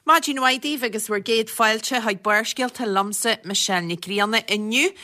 Maidin mhaith daoibh agus bhur gcéad fáilte chuig Barrscéalta liomsa, Michelle Nic Grianna. Inniu,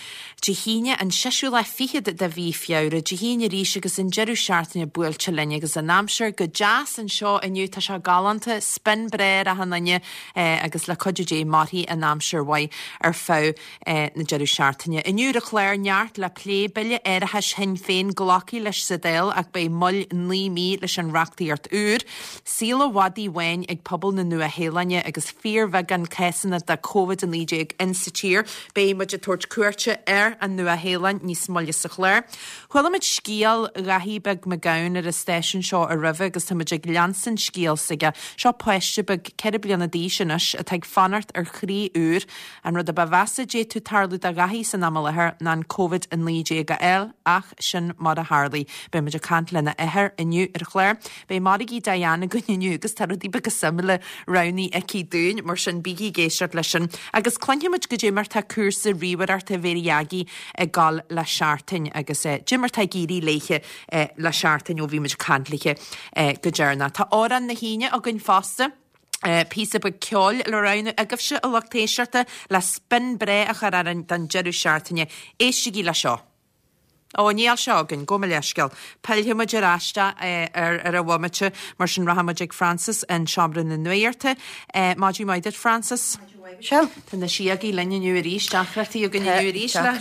Dé hAoine, an seisiú lá fichead de mhí Feabhra, Dé hAoine arís agus an deireadh seachtaine buailte linn agus an aimsir go deas anseo inniu, tá sé galánta, spion breá ar achan duine agus le cuidiú Dé mairfidh an aimsir mhaith ar feadh na deireadh seachtaine. Inniu ar an chlár, neart le plé, Bille Árachais Shinn Féin glactha leis sa Dáil ach beidh moill 9 mí leis an reachtaíocht úr. Saol an mhadaidh bháin ag pobal na Nua-Shéalainne agus fíorbheagán cásanna de Covid-19 insa tír. Beidh muid ag tabhairt cuairte ar an Nua-Shéalainn níos moille sa chlár. Chuala muid scéal Dhaithí Beag Mac Gabhann ar an stáisiún seo roimhe agus tá muid ag leanstan scéal s'aige. Seo páiste beag 4 bliana d'aois anois atá ag fanacht ar chroí úr. An rud a ba mheasa a d'fhéadfadh tarlú do Dhaithí san am i láthair ná an Covid-19 a fháil, ach sin mar a tharlaigh. Beidh muid ag caint lena athair inniu ar an chlár. Beidh Margaí Diane againn inniu agus tá rudaí beaga suimiúla roghnaithe aici dúinn, mar sin bígí ag éisteacht leis sin. Agus cluinfidh muid goidé mar tá cúrsa ríomhaireachta Mhéirí Aggie ag gabháil le seachtain agus goidé mar tá ag éirí léithe le seachtain ó bhí muid ag caint léithe go deireanach. Tá Amhrán na hAoine againn fosta. Píosa beag ceoil le roghnú agaibhse, a lucht éisteachta, le spion breá a chur orainn don deireadh seachtaine. Éistigí le seo. Ó, níl sé againn, gabh mo leithscéal. Pillfidh muid ar ais ar ar an bhomaite, mar sin rachaidh muid ag Frances in Seomra na Nuachta. Maidin mhaith duit, Frances. Maidin mhaith, Michelle. Tá na síogaí linn inniu arís, deacrachtaí againn inniu arís le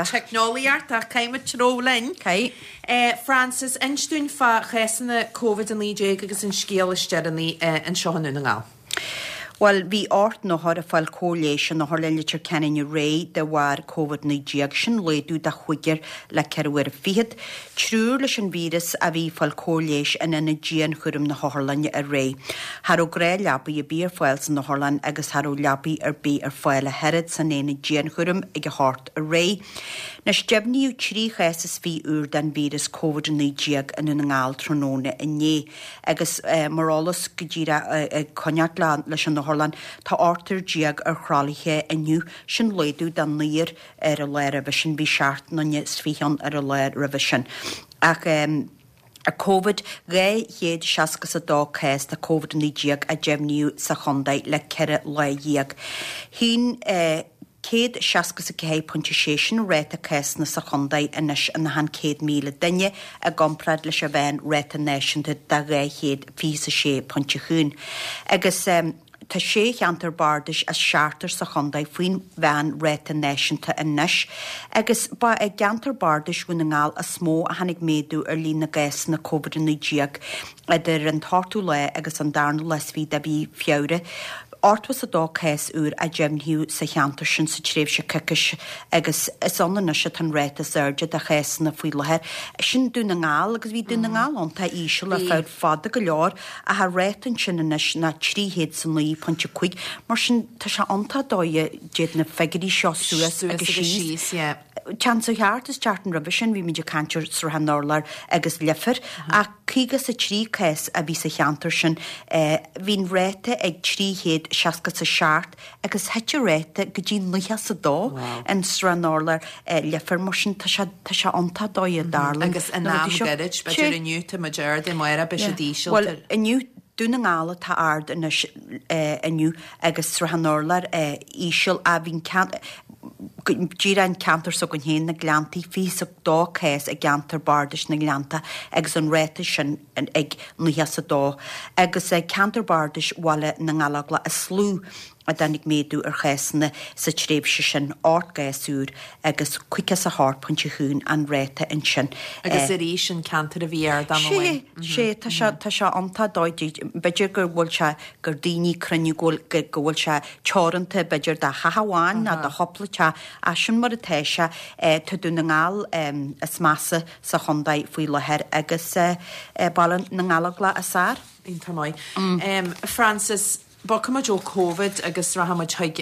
teicneolaíocht ach caithfidh muid treabhadh linn. Caithfidh. Frances, inis dúinn fá chásanna Covid-19 agus an scéal is deireanaí anseo i nDún na nGall. Bhuel, bhí 8 n-othar ag fáil cóir leighis in Otharlann Leitir Ceanainn aréir de bharr Covid-19, sin laghdú de chúigear le 4 uaire fichead. Triúr leis an víreas a bhí ag fáil cóir leighis in ionad dianchúraim na hotharlainne aréir. Cha raibh gnáthleapaí ar bith ar fáil san otharlann agus cha raibh leapaí ar bith ar fáil ach oiread san aonad dianchúraim ag a hocht aréir. Anois, deimhníodh 3 chás is 20 úr den víreas Covid-19 i nDún na nGall tráthnóna inné. Agus mar eolas, go díreach ag coinneáil leis an otharlann, tá ochtar déag ar thralaithe inniu, sin laghdú de naonúr ar an lá roimhe sin, bhí seacht nduine is fiche ann ar an lá roimhe sin. Ach Covid, 262 cás de Covid-19 a deimhníodh sa chontae le 14 lá. Shín. 164.6 sin ráta cásanna sa chontae anois in achan 100,000 duine i gcomparáid leis an mheán ráta náisiúnta de 226.1. Agus tá sé cheantar bardais as seachtar sa chontae faoin mheán ráta náisiúnta anois. Agus ba i gceantar bardais Dhún na nGall is mó a tháinig méadú ar líon na gcásanna Covid-19. Idir an t-ochtú lá agus an darna lá is fiche de mhí Feabhra, 82 cás úr a deimhníodh sa cheantar sin sa tréimhse coicíse agus is ann anois atá an ráta is airde de chásanna faoi láthair. Sin Dún na nGall agus bhí Dún na nGall iontach íseal ar feadh fada go leor ach an ráta ansin anois ná 309.5 mar sin tá sé iontach dóigh a dtéann na figiúirí seo suas agus síos. Téann sé thart is tseachtain roimhe sin bhí muid ag caint ar Srath an Urláir agus Leifear ach 53 cás a bhí sa cheantar sin. Bhí an ráta ag 367 agus thit an ráta go dtí 92 in Srath an Urláir Leifear mar sin tá sé tá sé iontach dóigh a dtarlaíonn Agus in am gairid, b'fhéidir inniu tá muid ard, amárach beidh siad íseal. Bhuel inniu Dún na nGall atá ard anois inniu agus Srath an Urláir íseal ach bhí an ceann díreach an ceantar s'againn féin, na Gleanntaí, 22 cás i gceantar bardais na nGleannta agus an ráta sin ag 92. Agus ceantar bardais Bhaile na nGallóglach is lú a dtáinig méadú ar chásanna sa tréimhse sin, 8 gcás úr agus 58.1 an ráta ansin. Agus arís an ceantar a bhí ard am amháin. Sea, tá sé, tá sé iontach dóigh, b'fhéidir go bhfuil sé, gur daoine cruinniú go bhfuil, go bhfuil sé teoranta b'fhéidir do theach amháin nó do chúpla teach ach sin mar atá sé. Tá Dún na nGall is measa sa chontae faoi láthair agus Baile na nGallóglach is fearr. Iontach maith. Frances, Bogfaidh muid ó Covid agus rachaidh muid chuig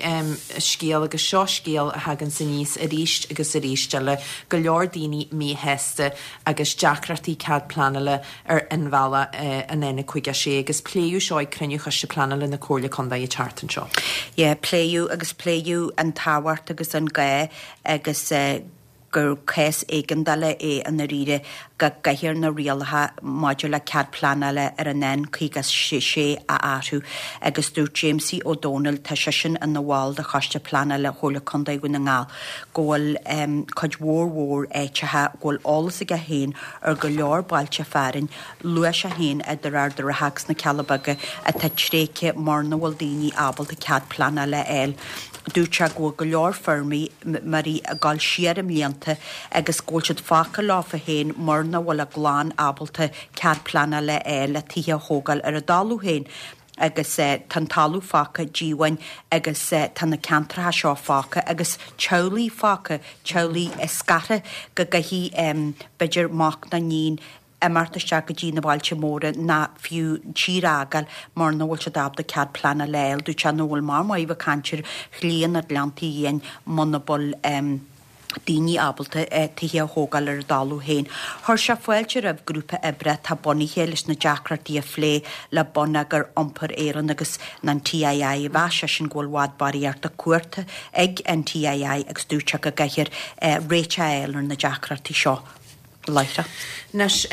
scéal agus seo scéal a thaganns aníos arís agus arís eile, go leor daoine míshásta agus deacrachtaí cead pleanála ar inbhealach an N56 agus pléadh seo ag cruinniú Choiste Pleanála na Comhairle Contae an tseachtain seo. Yeah, pléadh agus pléadh an tábhacht agus an gá agus gur cás éigeandála é i ndáiríre. go gcaithfear na rialacha maidir le cead pleanála ar an N56 a athrú agus dúirt Jamesie Ó Domhnaill, tá seisean ina bhall de Choiste Pleanála Chomhairle Contae Dhún na nGall, go bhfuil cuid mhór mhór áiteacha go bhfuil eolas aige féin ar go leor bailte fearainn, luaigh sé féin idir Ard an Rátha agus na Cealla Beaga atá tréigthe mar nach bhfuil daoine ábalta cead pleanála a fháil. Dúirt sé go bhfuil go leor feirmeoirí ag dul siar i mblianta agus go bhfuil siad fágtha leofa féin mar nach bhfuil a gclann ábalta cead pleanála a fháil le tithe a thógáil ar a dtalamh féin agus tá an talamh fágtha díomhaoin agus tá na ceantracha seo fágtha agus teaghlaigh fágtha, teaghlaigh scartha go gcaithfidh b'fhéidir mac nó iníon imeacht isteach go dtí na bailte móra ná fiú tír a fhágáil mar nach bhfuil siad ábalta cead pleanála a fháil. Dúirt sé nach bhfuil mar maith bheith ag caint ar shlí na Gleanntaí Fhiáin muna bhfuil daoine ábalta tithe a thógáil ar a dtalamh féin. Chuir sé fáilte roimh grúpa oibre atá bunaithe leis na deacrachtaí a phlé le Bonneagar Iompair Éireann agus an TII. Mheas seisean go bhfuil i bhfad barraíocht de chumhachta ag an TII agus dúirt sé go gcaithfear réiteach a fháil ar na deacrachtaí seo. láithreach. Anois,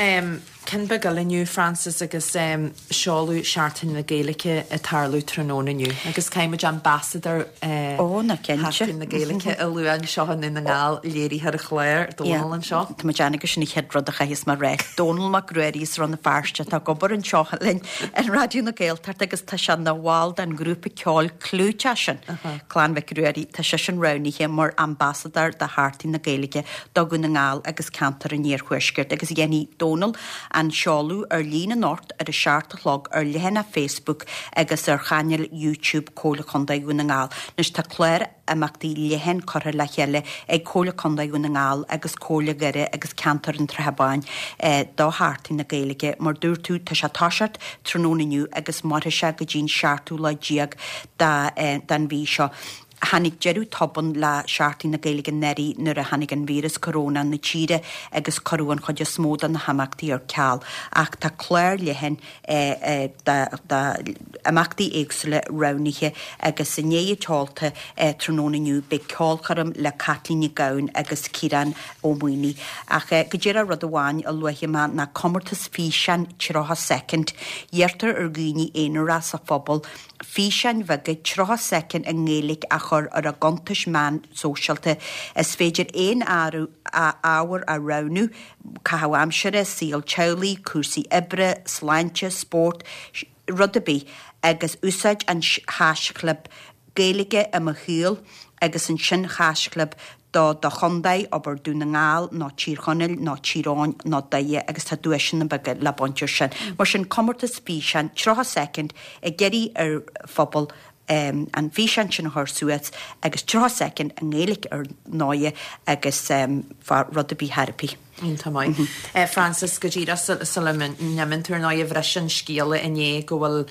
ceann beag eile inniu, Frances, agus seoladh Seachtain na Gaeilge ag tarlú tráthnóna inniu agus caithfidh muid Ambassador Ó, ná cinnte. Sheachtain na Gaeilge a lua anseo i nDún na nGall, léiritheoir an chláir, Dónal anseo. Tá mé ag déanamh gur sin an chéad rud a chaithfeas mé a rá. Dónal Mac Ruairí as Rann na Feirste atá ag obair anseo linn in Raidió na Gaeltachta agus tá sé ina bhall den ghrúpa ceoil clúiteach sin, Clann Mhic Ruairí. Tá seisean roghnaithe mar Ambasadóir do Sheachtain na Gaeilge do Dhún na nGall agus ceantar an Iarthuaiscirt agus dhéanfaidh Dónal an seoladh ar líne anocht ar a 7 a chlog ar leathanach Facebook agus ar chainéal YouTube Comhairle Contae Dhún na nGall. Anois tá clár imeachtaí leathan curtha le chéile ag Comhairle Contae Dhún na nGall agus Comhairle Dhoire agus Ceantar an tSratha Báin do Sheachtain na Gaeilge. Mar dúirt tú, tá sé ag toiseacht tráthnóna inniu agus mairfidh sé go dtí'n seachtú lá déag den mhí seo. Tháinig deireadh tobann le Seachtain na Gaeilge anuraidh nuair a tháinig an víreas coróna na tíre agus cuireadh an chuid is mó de na himeachtaí ar ceal. Ach tá clár leathan d'imeachtaí éagsúla roghnaithe agus i ndiaidh an tseolta tráthnóna inniu beidh ceolchoirm le Caitlín Nic Gabhann agus Ciarán Ó Maonaigh. Ach go díreach rud amháin a luafaidh mé ná comórtas físeáin 30 soicind. Iarrtar ar dhaoine aonaracha sa phobal físeáin bheaga 30 soicind i nGaeilge a chur ar a gcuntais meán sóisialta. Is féidir aon ábhar a roghnú, caitheamh aimsire, saol teaghlaigh, cúrsaí oibre, sláinte, spórt, rud ar bith, agus úsáid an haischlib Gaeilge i mo shaol agus ansin haischlib do do chontae, abair Dún na nGall nó Tír Chonaill nó Tír Eoghain nó Doire agus tá duaiseanna beaga le baint ar sin. Mar sin, comórtas físeáin, 30 soicind, ag iarraidh ar phobal an físeán sin a chur suas agus 30 soicind i nGaeilge ar ndóighe agus fá rud ar bith thar a bith. Iontach maith. Frances, go díreach sula n-imíonn tú ar ndóighe, bhris an scéala inné go bhfuil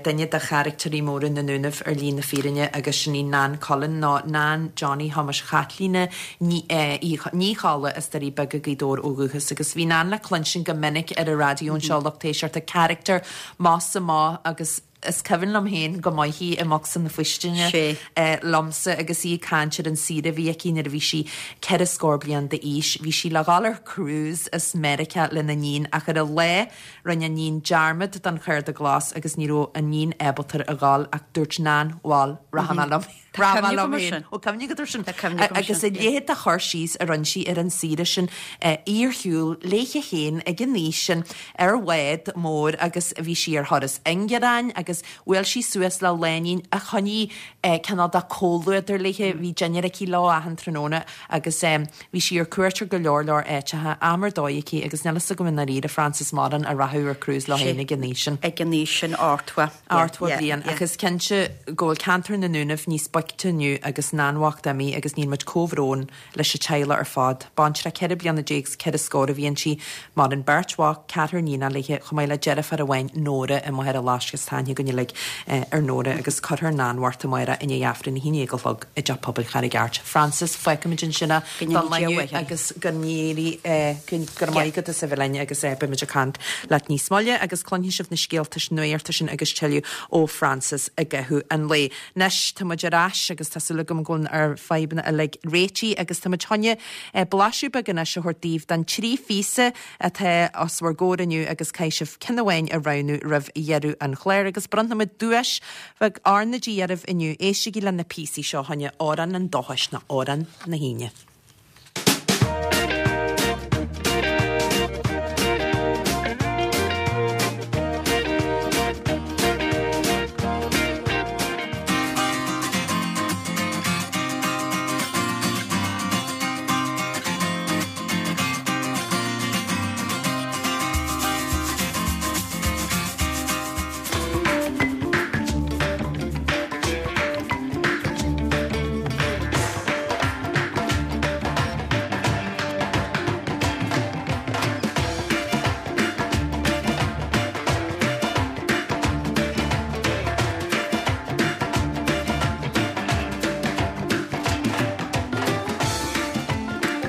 duine de charactéirí móra na nDúnaibh ar shlí na fírinne agus sin í Nan Cullen, nó Nan Johnny Thomáis Chaitlín Ní Cholla as Doirí Beaga, Gaoth Dobhair ó dhúchas agus bhí Nan le cluinstin go minic ar an raidió anseo, lucht éisteachta, carachtar maith sa maith agus Is cuimhin liom féin go maith í i mbocsa na faoistine liomsa agus í ag caint ar an saoire a bhí aici nuair a bhí sí ceithre scór bliain d'aois. Bhí sí le dhul ar cruise as Meiriceá lena níon ach ar an lá rinne an níon dearmad den chárta glas agus ní raibh an níon ábalta a dhul ach dúirt Nan, bhal, rachaidh mé liom. Tá cuimhne agam air sin. Ó cuimhne agat air sin. Tá cuimhne agam air sin. Agus a leithéid de chur síos a rinne sí ar an saoire sin, í ar shiúl léithe féin ag an aois sin ar bhád mór agus bhí sí ar thuras ingearáin agus bhuail sí suas le lánúin a choinnigh cineál de comhluadar léithe, bhí dinnéar aici leo achan tráthnóna agus bhí sí ar cuairt ar go leor leor áiteacha, am ar dóigh aici agus níl fhios agam i ndáiríre Frances mórán a rachadh ar cruise leo féin ag an aois sin. Ag an aois sin, 80. 80 bliain, ach is cinnte go bhfuil ceantar na nDúnaibh níos boichte inniu agus Nan bhocht imithe agus níl muid comhbhrón leis an teaghlach ar fad. Baintreach 14 bliana is ceithre scór a bhí inti, maireann beirt mhac, ceathrar níonacha léithe, chomh maith le deirfiúr amháin, Nóra, i Machaire Laisc agus tá aithne againn uilig ar Nóra agus cuirfear Nan bhocht amárach i ndiaidh Aifreann 11 a chlog i dTeach Pobail Charraig Airt. Frances, fágfaimid ansin é don lá inniu agus go n-éirí, go raibh maith agat as a bheith linn agus beimid ag caint leat níos moille agus cluinfidh sibh na scéalta nuachta sin agus tuilleadh ó Frances i gcaitheamh an lae. Anois, tá muid ar ais. ais agus tá súil agam go bhfuil ár fadhbanna uilig réitithe agus táimid chun blaiseadh beag anois a thabhairt daoibh den trí phíosa atá os bhur gcomhair inniu agus caithfidh sibh ceann amháin a roghnú roimh dheireadh an chláir agus bronnfaimid duais bheag R na G oraibh inniu. Éistigí le na píosaí seo fá choinne Amhrán an Dóchais nó Amhrán na hAoine.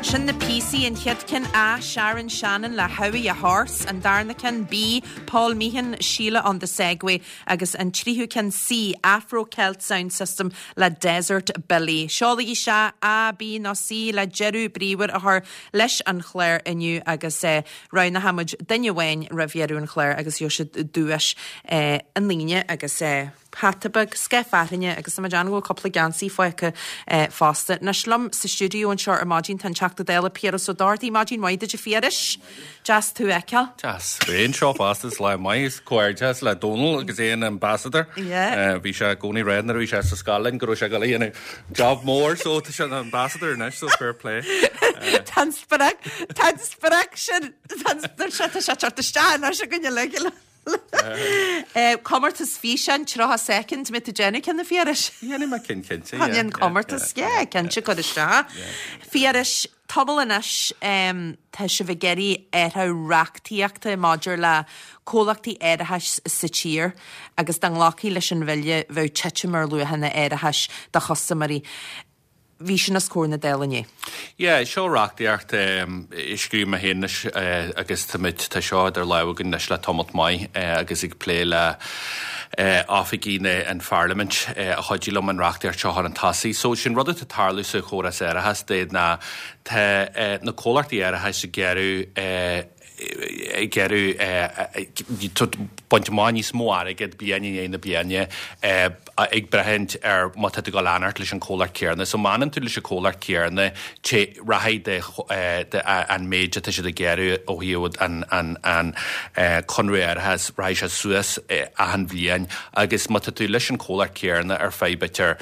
Sin na píosaí, an chéad ceann A, Sharon Shannon le Howie a Horse, an darna ceann B, Paul Meehan, Sheila on the Segway agus an tríú ceann C, Afro Celt Sound System le Desert Billy. Seolaigí isteach A, B nó C le deireadh bríomhar a chur leis an chlár inniu agus roghnóidh muid duine amháin roimh dheireadh an chláir agus gheobhaidh siad duais an Aoine agus hata beag, scaif fearthainne agus tá mé ag déanamh go bhfuil cúpla geansaí fágtha fosta. Anois liom sa stiúideo anseo ar maidin tá an Teachta Dála Piaras Ó Dochartaigh. Maidin mhaith duit a Phiarais. Deas tú a fheiceáil. Deas bheith anseo fosta, is lá maith is comhghairdeas le Dónal agus é ina ambassador. Yeah. Bhí sé i gcónaí ag rá nuair a bhí sé sa scoil linn go raibh sé ag dul a dhéanamh job mór so tá sé ina ambassador anois so fair play. Tá an sprioc, tá an sprioc sin, tá an tá sé tá sé ag teacht isteach anois againn uilig. Comórtas físeáin 30 soicind, mbeidh tú ag déanamh ceann a Phiarais? Dhéanfaidh mé ceann cinnte, yeah. An comórtas, yeah, cinnte cuir isteach. Phiarais, tamall anois tá sibh ag iarraidh athrú reachtaíochta maidir le comhlachtaí árachais sa tír agus dá nglacfaí leis an bhille bheadh titim ar luachanna árachais do chustaiméirí. Bhí sin os comhair na Dála inné. Yeah, seo reachtaíocht a scríobh mé féin anois agus táimid, tá seo idir lámha againn anois le tamalt maith agus ag plé le oifigigh na, an Pharlaimint a chuidigh liom an reachtaíocht seo a chur chun tosaigh. So sin rud atá ag tarlú sa chóras árachais de ná tá na comhlachtaí árachais ag iarraidh ag iarraidh baint amach níos mó airgid bliain i ndiaidh na bliana ag braithint ar má tá tú ag dul a fhanacht leis an chomhlacht céanna. So má fhanann tú leis an chomhlacht céanna rachaidh an méid atá siad ag iarraidh ó thaobh an conradh árachais, rachaidh sé suas achan bhliain agus má tá tú leis an chomhlacht céanna ar feadh b'fhéidir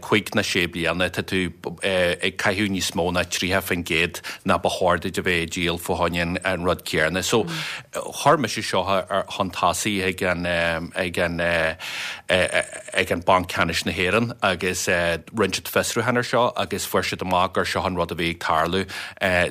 5 nó 6 bliana, tá tú ag caitheamh níos mó ná 30% ná ba chóir duit a bheith ag díol fá choinne an rud céanna. So, chuir mise seo chun tosaigh ag an ag an ag an Banc Ceannais na hÉireann agus rinne siad fiosrúchán ar seo agus fuair siad amach gur seo an rud a bhí ag tarlú.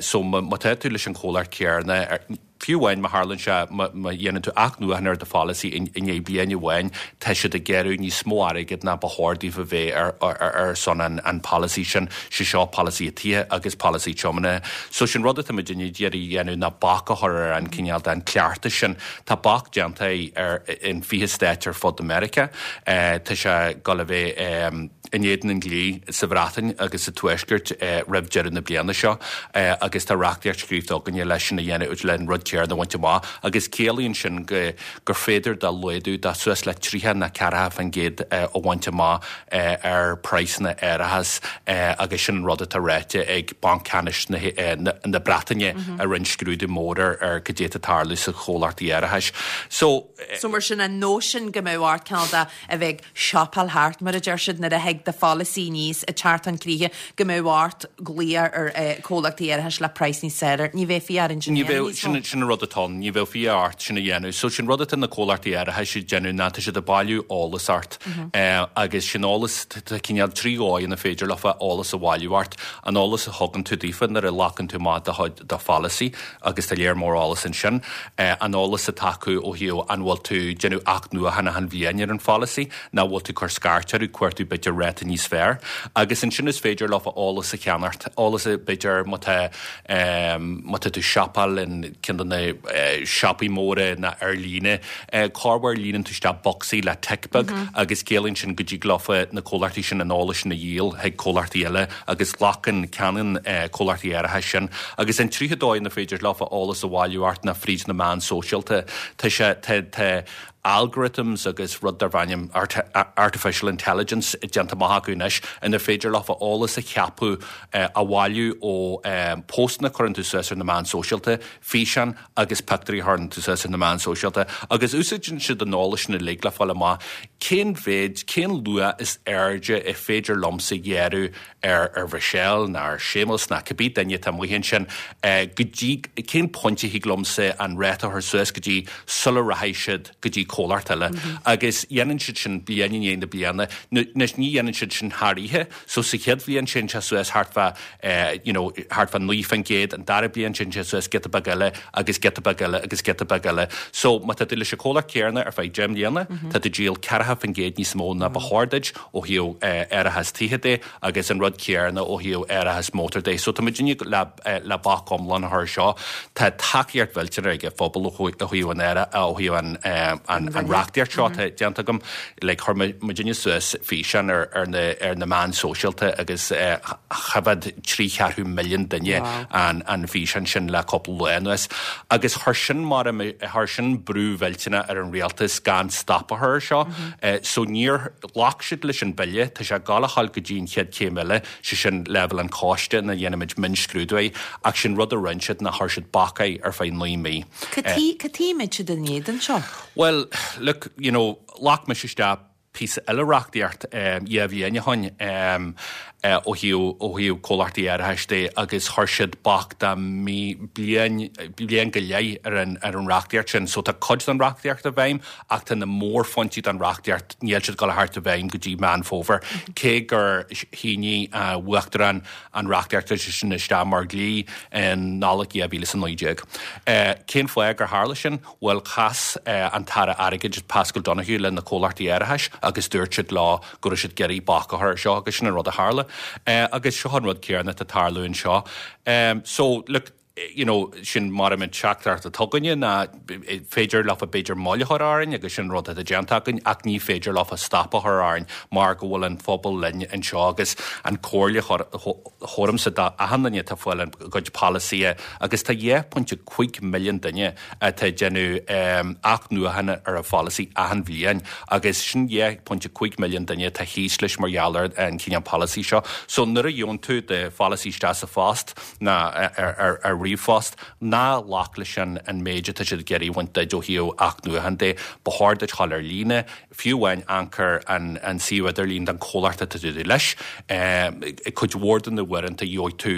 So, má tá tú leis an chomhlacht céanna, Fiú amháin má tharlaíonn sé, má dhéanann tú athnuachan ar do pholasaí i ndiaidh bliain amháin, tá siad ag iarraidh níos mó airgid ná ba chóir daofa a bheith ar son an pholasaí sin, sé seo polasaithe tithe agus polasaí tiomána. So sin rud atá muidinne ag iarraidh a dhéanamh ná bac a chur ar an cineál den cleachtas sin. Tá bac déanta ar in 20 stáit ar fud Meiriceá. Tá sé ag dul a bheith. in éadan an dlí sa Bhreatain agus sa Tuaisceart roimh deireadh na bliana seo agus tá reachtaíocht scríofa againne leis sin a dhéanamh, le an rud céanna a bhaint amach agus ciallaíonn sin go gur féidir do laghdú de suas le 30 nó 40% a bhaint amach ar praghsanna árachais agus sin an rud atá ráite ag Banc Ceannais na Breataine a rinne scrúdú mór ar cad é atá ag tarlú sa chomhlachtaí árachais. So. So mar sin an nóisean go mbeadh ort cineál de a bheith ag siopáil thart, mar a deir siad, nuair a thig do pholasaí aníos ag teacht chun críche, go mbeadh ort glaoch ar chomhlachtaí árachais le praghas níos fearr. Ní bheifí orainn sin a Ní dhéanamh bheadh, níos mó. sin an rud atá ann, ní bheadh fiacha ort sin a dhéanamh. So sin rud atá na comhlachtaí árachais ag déanamh ná tá siad ag bailiú eolas ort agus sin eolas, tá cineál 3 dhóigh ina féidir leofa eolas a bhailiú ort. An eolas a thugann tú daofa nuair a ghlacann tú amach do chuid, do pholasaí agus tá léar mór eolas ansin. An eolas atá acu ó thaobh an bhfuil tú ag déanamh athnuachan achan bhliain ar an pholasaí nó an bhfuil tú ag cur scairt orthu, cuartú b'fhéidir. ráta níos fearr. Agus ansin is féidir leofa eolas a cheannacht, eolas a, b'fhéidir má tá, má tá tú siopail in ceann de na siopaí móra ná ar líne, corruair líonann tú isteach bocsaí le tic beag agus ciallaíonn sin go dtig leofa na comhlachtaí sin an eolas sin a dhíol chuig comhlachtaí eile agus glacann, ceannaíonn comhlachtaí árachais sin. Agus an tríú dóigh inar féidir leofa eolas a bhailiú ort ná fríd na meáin sóisialta. Tá sé, tá, tá algorithms agus rud darb ainm artificial intelligence déanta amach acu anois inar féidir leofa eolas a cheapadh, a bhailiú ó póstanna a chuireann tú suas ar na meáin sóisialta, físeáin agus pictiúirí a chuireann tú suas ar na meáin sóisialta agus úsáideann siad an eolas sin uilig le fáil amach cén mhéid, cén luach is airde is féidir liomsa ghearradh ar ar Mhichelle ná ar Séamus ná cibé duine atá amuigh ansin go dtí, cén pointe a thig liomsa an ráta a chur suas go dtí sula rachaidh siad go dtí comhlacht eile agus dhéanann siad sin bliain i ndiaidh na bliana. Anois ní dhéanann siad sin thar oíche so sa chéad bhliain téann sé suas thart fá you know thart fá 9%, an dara bliain téann sé suas giota beag eile agus giota beag eile agus giota beag eile. So má tá tú leis an comhlacht céanna ar feadh 10 mbliana, tá tú ag díol 40% níos mó ná ba chóir duit ó thaobh árachas tithe de agus an rud céanna ó thaobh árachas mótar de. So tá muidinne le le bac iomlán a chur seo. Tá tacaíocht mhillteanach ag an phobal ó thaobh an ó thaobh an an reachtaíocht seo atá déanta agam. Like chuir muidinne suas físeán ar ar na ar na meáin sóisialta agus choimhéad 3 cheathrú milliún duine an an físeán sin le cúpla lá anuas. Agus chuir sin mar chuir sin brú mhillteanach ar an rialtas gan stop a chur ar seo. So níor ghlac siad leis an bille, tá sé ag gabháil a ghabháil go dtí an chéad chéim eile. sé sin leibhéal an choiste ina ndéanaimid mionscrúdú air, ach sin rud a rinne siad ná chuir siad bac air ar feadh 9 mí. Cad tuige a mbeid siad in éadan seo? Bhuel, look, you know, ghlac mise isteach píosa eile reachtaíocht 2 bhliain ó shoin ó thaobh ó thaobh comhlachtaí árachais de agus chuir siad bac de mí bliain bliain go leith ar an ar an reachtaíocht sin. So tá cuid den reachtaíocht i bhfeidhm ach tá na mórphointí den reachtaíocht, níl siad ag dul a theacht i bhfeidhm go dtí Meán Fómhair, cé gur shínigh an Uachtarán an reachtaíocht sin isteach mar dhlí i Nollaig 2019. Cén fáth gur tharla sin? Bhuel, chas an tAire Airgid, Paschal Donohoe, le na comhlachtaí árachais agus dúirt siad leo go raibh siad ag iarraidh bac a chur air seo agus sin an rud a tharla. Agus seo an rud céanna atá ag tarlú anseo. So, look, you know, sin mar an teachtaireacht atá againne ná féidir leofa b'fhéidir moill a chur orainn agus sin rud atá déanta againn ach ní féidir leofa stop a chur orainn mar go bhfuil an phobal linn anseo agus an comhairle a thabharfaimse d'achan duine atá ag fáil a gcuid polasaithe agus tá 2.5 milliún duine atá ag déanamh athnuachan ar a pholasaí achan bhliain agus sin 2.5 milliún duine atá thíos leis mar gheall ar an chineál polasaí seo. So nuair a gheobhann tú do pholasaí isteach sa phost, ná ar ríomhphost, ná glac leis an an méid atá siad ag iarraidh a bhaint duit ó thaobh athnuachan de. Ba chóir duit dhul ar líne, fiú amháin amharc ar an an suíomh idirlín don chomhlacht atá tú leis. Cuid mhór de na huaireanta gheobhaidh tú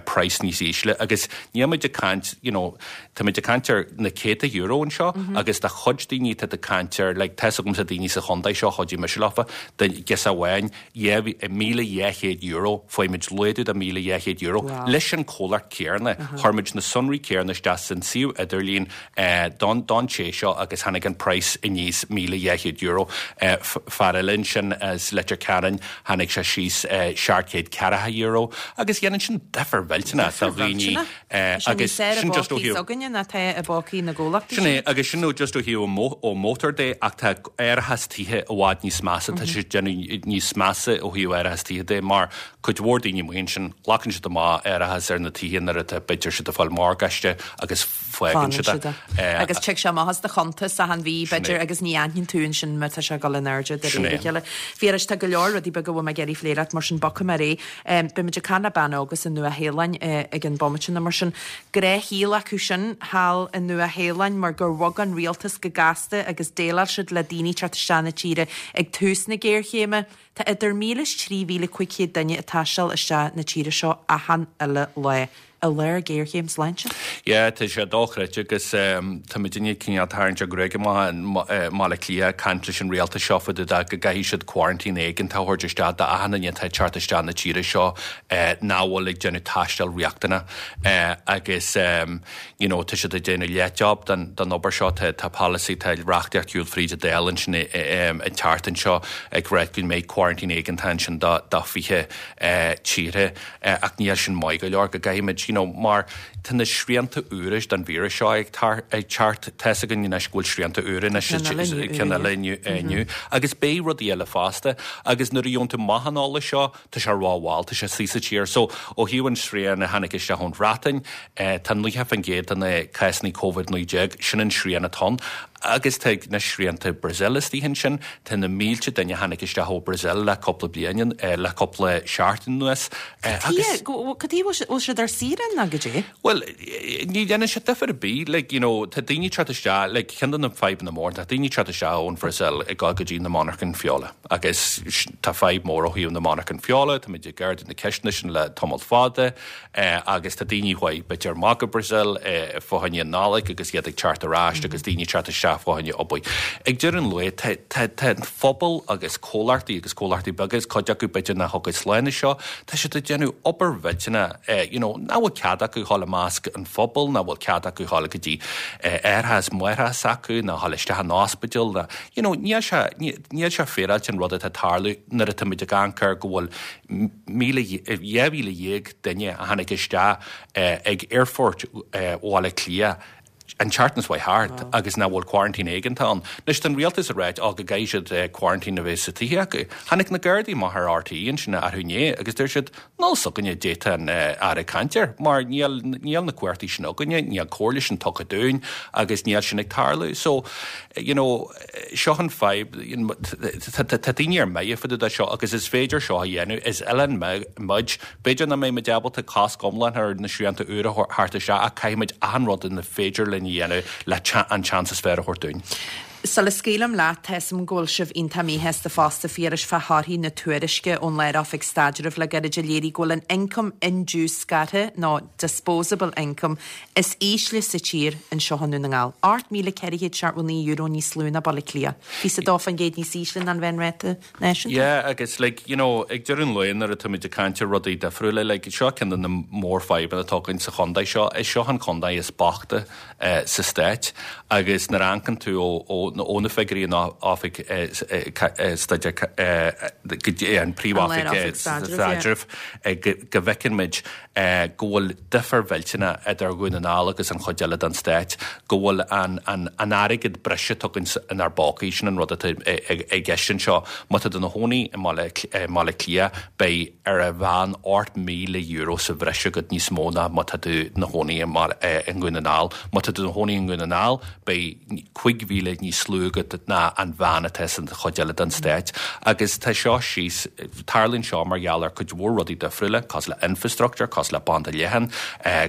praghas níos ísle agus níl muid ag caint, you know, tá muid ag caint ar na céadta euro anseo agus do chuid daoine tá ag caint ar, like, tá's agamsa daoine sa chontae seo, chuidigh mise leofa, do ghirseach amháin, €1,200, fuair muid laghdú de €1,200 leis an comhlacht céanna. Chuir muid na sonraí céanna isteach san suíomh idirlín don don té seo agus tháinig an praghas aníos €1,200. Fear eile ansin as Leitir Ceanainn, tháinig sé síos €740 agus dhéanann sin difear mhillteanach do dhaoine. Agus sin just ó thaobh. againne ná tá i bpócaí na gcomhlachtaí sin. Sin é, agus sin just ó thaobh ó mótar de, ach tá árachas tithe i bhfad níos measa, tá sé déanamh níos measa ó thaobh árachas tithe de, mar cuid mhór daoine amuigh ansin, glacann siad amach árachas ar na tithe nuair atá b'fhéidir siad ag fáil morgáiste agus fágann siad é. Agus tig sé amach as do chuntas achan mhí, b'fhéidir, agus ní aithníonn tú ansin má tá sé ag dul in airde de réir a chéile. Phiarais, tá go leor rudaí beaga a bhfuil mé ag iarraidh phlé leat, mar sin bogfaidh mé ar aghaidh. Beidh muid ag caint le bean óg as an Nua-Shéalainn ag an bomaite nó mar sin. Gnáthshaol acu sin thall i Nua-Shéalainn mar gur bhog an rialtas go gasta agus déileáil siad le daoine teacht isteach na tíre ag tús na géarchéime. Tá idir 1,000 is 3,500 duine ag taisteal isteach na tíre seo achan uile lá. i lár géarchéim sláinte. Yeah, tá sé dochreidte agus tá muidinne cineál tarraingt ár ngruaig amach i mBaile Átha Cliath ag caint leis an rialtas seo fá dtaobh de go gcaithfidh siad quarantine éigeantach a thabhairt isteach d'achan duine atá ag teacht isteach na tíre seo nach bhfuil ag déanamh taisteal riachtanach agus you know tá siad ag déanamh leath-job den den obair seo. Tá tá polasaí, tá reachtaíocht ag siúl fríd an Dáil ansin an tseachtain seo ag ráit go mbeidh quarantine éigeantach ansin do do 20 tíortha. Ach níl sin maith go leor, go gcaithfimid, you know, mar tá na srianta úra don víreas seo ag teacht, tá's againn anois go bhfuil srianta úra anois, ceann eile inniu, agus beidh rudaí eile fosta, agus nuair a gheobhann tú amach an eolas seo, tá sé rómhall, tá sé istigh sa tír. So, ó thaobh an srian a tháinig isteach ón Bhreatain, tá 90% de na cásanna Covid-19, sin an srian atá ann. Agus tá na srianta Brazil istigh ansin, tá na mílte duine a tháinig isteach ó Brazil le cúpla bliain, le cúpla seachtain anuas. Agus. Cad chuige a bhfuil siad ar saoire nó goidé? Bhuel, ní dhéanann sé difear ar bith, like, you know, tá daoine ag teacht isteach, like, ceann de na fadhbanna móra, tá daoine ag teacht isteach ón Bhrasaíl ag dul go dtí na monarchain feola agus tá fadhb mór ó thaobh na monarchan feola, táimid ag ardú na ceisteanna sin le tamall fada. Agus tá daoine a chuaigh b'fhéidir amach go Brazil fá choinne an Nollaig agus iad ag teacht ar ais agus daoine ag teacht isteach fá choinne obair. Ag deireadh an lae, tá tá tá an phobal agus comhlachtaí agus comhlachtaí beaga is cuid acu b'fhéidir nach thiocfaidh slán as seo, tá siad ag déanamh obair mhillteanach, you know, nach bhfuil cead acu dhul i measc an phobail, nach bhfuil cead acu dhul go dtí aithreacha is máithreacha s'acu, ná dhul isteach in ospidéal, ná, you know, níl sé, níl sé féaráilte an rud atá ag tarlú nuair atá muid ag amharc ar go bhfuil 12,000 duine a tháinig isteach ag Aerfort Bhaile Átha Cliath an tseachtain seo thart agus nach bhfuil quarantine éigeantach ann. Anois tá an rialtas ag ráit ó go gcaithfidh siad quarantine a bheith sa tithe acu. Tháinig na Gardaí amach ar RTÉ ansin arú inné agus deir siad níl fhios againne goidé tá an Aire ag caint air mar níl níl na cumhachtaí sin againne, níl comhairle sin tugtha dúinn agus níl sin ag tarlú. So, you know, Seo an fadhb, tá daoine ar mire fá dtaobh de seo agus is féidir seo a dhéanamh, is oileán muid, b'fhéidir nach mbeidh muid ábalta cosc iomlán ar na srianta úra a thabhairt isteach ach caithfidh muid achan rud ina féidir linn a dhéanamh le an seans is fearr a thabhairt dúinn. Sula scaoilim leat, tá 'fhios a'm go bhfuil sibh iontach míshásta fosta, Phiarais, fá thorthaí na tuairisce ón Lár-Oifig Staidrimh le gairid a léirigh go bhfuil an ioncam indiúscartha, nó disposable income, is ísle sa tír anseo i nDún na nGall. €8,479 níos lú ná Baile Átha Cliath. 22% níos ísle ná an mheánráta náisiúnta. Yeah, agus like, you know, ag deireadh an lae nuair atá muid ag caint ar rudaí difriúla, like, seo ceann de na mórfhadhbanna atá againn sa chontae seo, is seo an contae is boichte sa stát agus nuair a amharcann tú ó, ó, ó na figiúirí in oifig staidéar, go dtí an príomhoifig staidrimh, go bhfeiceann muid go bhfuil difear mhillteanach idir Dhún na nGall agus an chuid eile den stát, go bhfuil an an airgead breise atá againn inár bpócaí, sin an rud atá i gceist anseo. Má tá tú i do chónaí i mBaile Átha Cliath, beidh ar a mheán €8,000 sa bhreis agat níos mó ná má tá tú i do chónaí i nDún na nGall. Má tá tú i do chónaí i nDún na nGall, beidh 5,000 níos lú agat ná an mheán atá san chuid eile den stát. Agus tá seo síos, tarlaíonn seo mar gheall ar cuid mhór rudaí difriúla, cosúil le infrastructure, cosúil le banda leathan,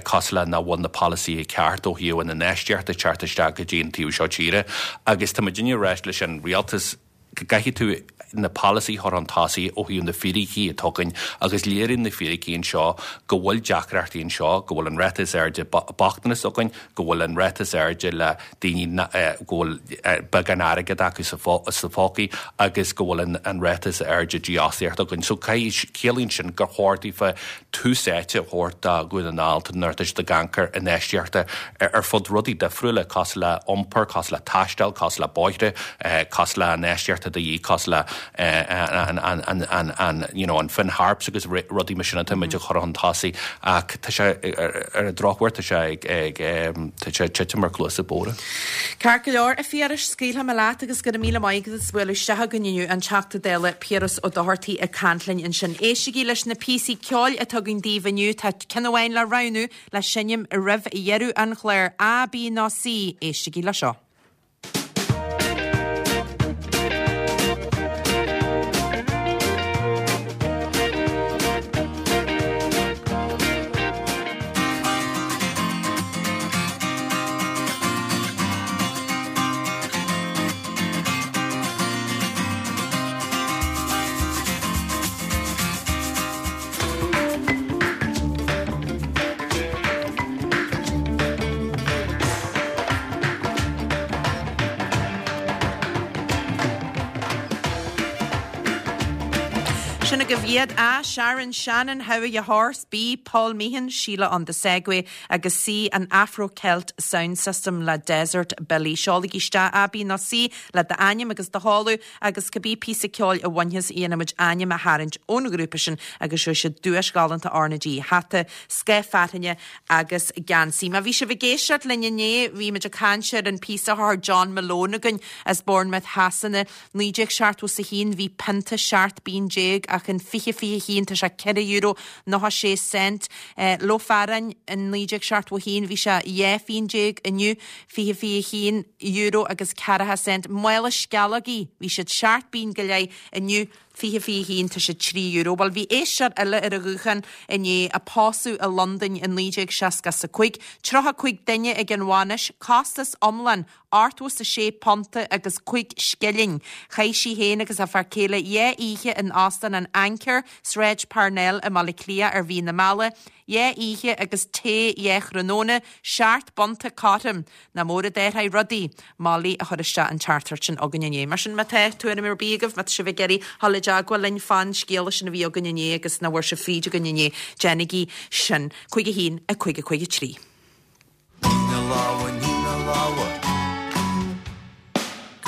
cosúil le nach bhfuil na polasaithe ceart ó thaobh an infheistíocht ag teacht isteach go dtí an taobh seo tíre. Agus tá muidinne ag ráit leis an rialtas go gcaithfidh tú na polasaithe a chur chun tosaigh ó thaobh na fíricí atá againn agus léiríonn na fíricí anseo go bhfuil deacrachtaí anseo, go bhfuil an ráta is airde bochtanas againn, go bhfuil an ráta is airde le daoine go bhfuil beagán airgead acu sa phócaí agus go bhfuil an ráta is airde dífhostaíocht againn. So ciallaíonn sin gur chóir daofa tús áite a thabhairt do Dhún na nGall nuair atá siad ag amharc ar infheistíochta ar fud rudaí difriúla cosúil le iompar, cosúil le taisteal, cosúil le bóithre, cosúil le infheistíochta de dhíth, cosúil le an you know an Finn Harps agus rudaí mar sin atá muid a chur chun tosaigh ach tá sé ar an drochuair tá sé ag ag tá sé ag titim ar chluasa bodhra. Ceart go leor, a Phiarais, scaoilfidh mé leat agus go raibh míle maith agat as bualadh isteach chugainn inniu, an Teachta Dála Piaras Ó Dochartaigh ag caint linn ansin. Éistigí leis na píosaí ceoil atá againn daoibh inniu, tá ceann amháin le roghnú le seinm roimh dheireadh an chláir, A, B nó C, éistigí le seo. Sin agaibh iad, A, Sharon Shannon, How Are Ya Horse, B, Paul Meehan, Sheila on the Segway agus C, an Afro Celt Sound System le Desert Billy. Seolaigí isteach A, B nó C le d'ainm agus do sheoladh agus cibé píosa ceoil a bhainfeas dhéanfaimid ainm a tharraingt ón ghrúpa sin agus gheobhaidh siad duais ghalánta RnaG, hata, scáth fearthainne agus geansaí. Má bhí sibh ag éisteacht linn inné bhí muid ag caint ar an píosa a chuir John Malone chugainn as Bournemouth Shasana. 1971 bhí pionta 17 bpingin ach in 2021 tá sé €4 96 cent. Ló fearáin in 1971 bhí sé 12 phingin, inniu 2021 euro agus ceathracha cent. Mála sceallógaí bhí siad seacht bpingin go leith, inniu 2021 tá siad €3. Bhuel bhí éisteoir eile ar an ghuthán inné a pósadh i Londain i 1965, 35 duine ag an bhainis, costas iomlán £86 agus 5 scilling. Chaith sí féin agus a fear céile dhá oíche in Óstán an Anchor, Sráid Parnell i mBaile Átha Cliath ar mhí na meala, dhá oíche agus tae dhá thráthnóna, seacht bpunta cothrom. Nach mór a d'athraigh rudaí. Molly a chuir isteach an teachtaireacht sin chugainn inné. Mar sin, má tá tuairim ar bith agaibh, má tá sibh ag iarraidh dhul i dteagmháil linn fán scéala sin a bhí againn inné agus nach bhfuair sibh fríd againn inné, déanaigí sin. 5 1 5 5 3. Nigh na lámha, nigh na lámha.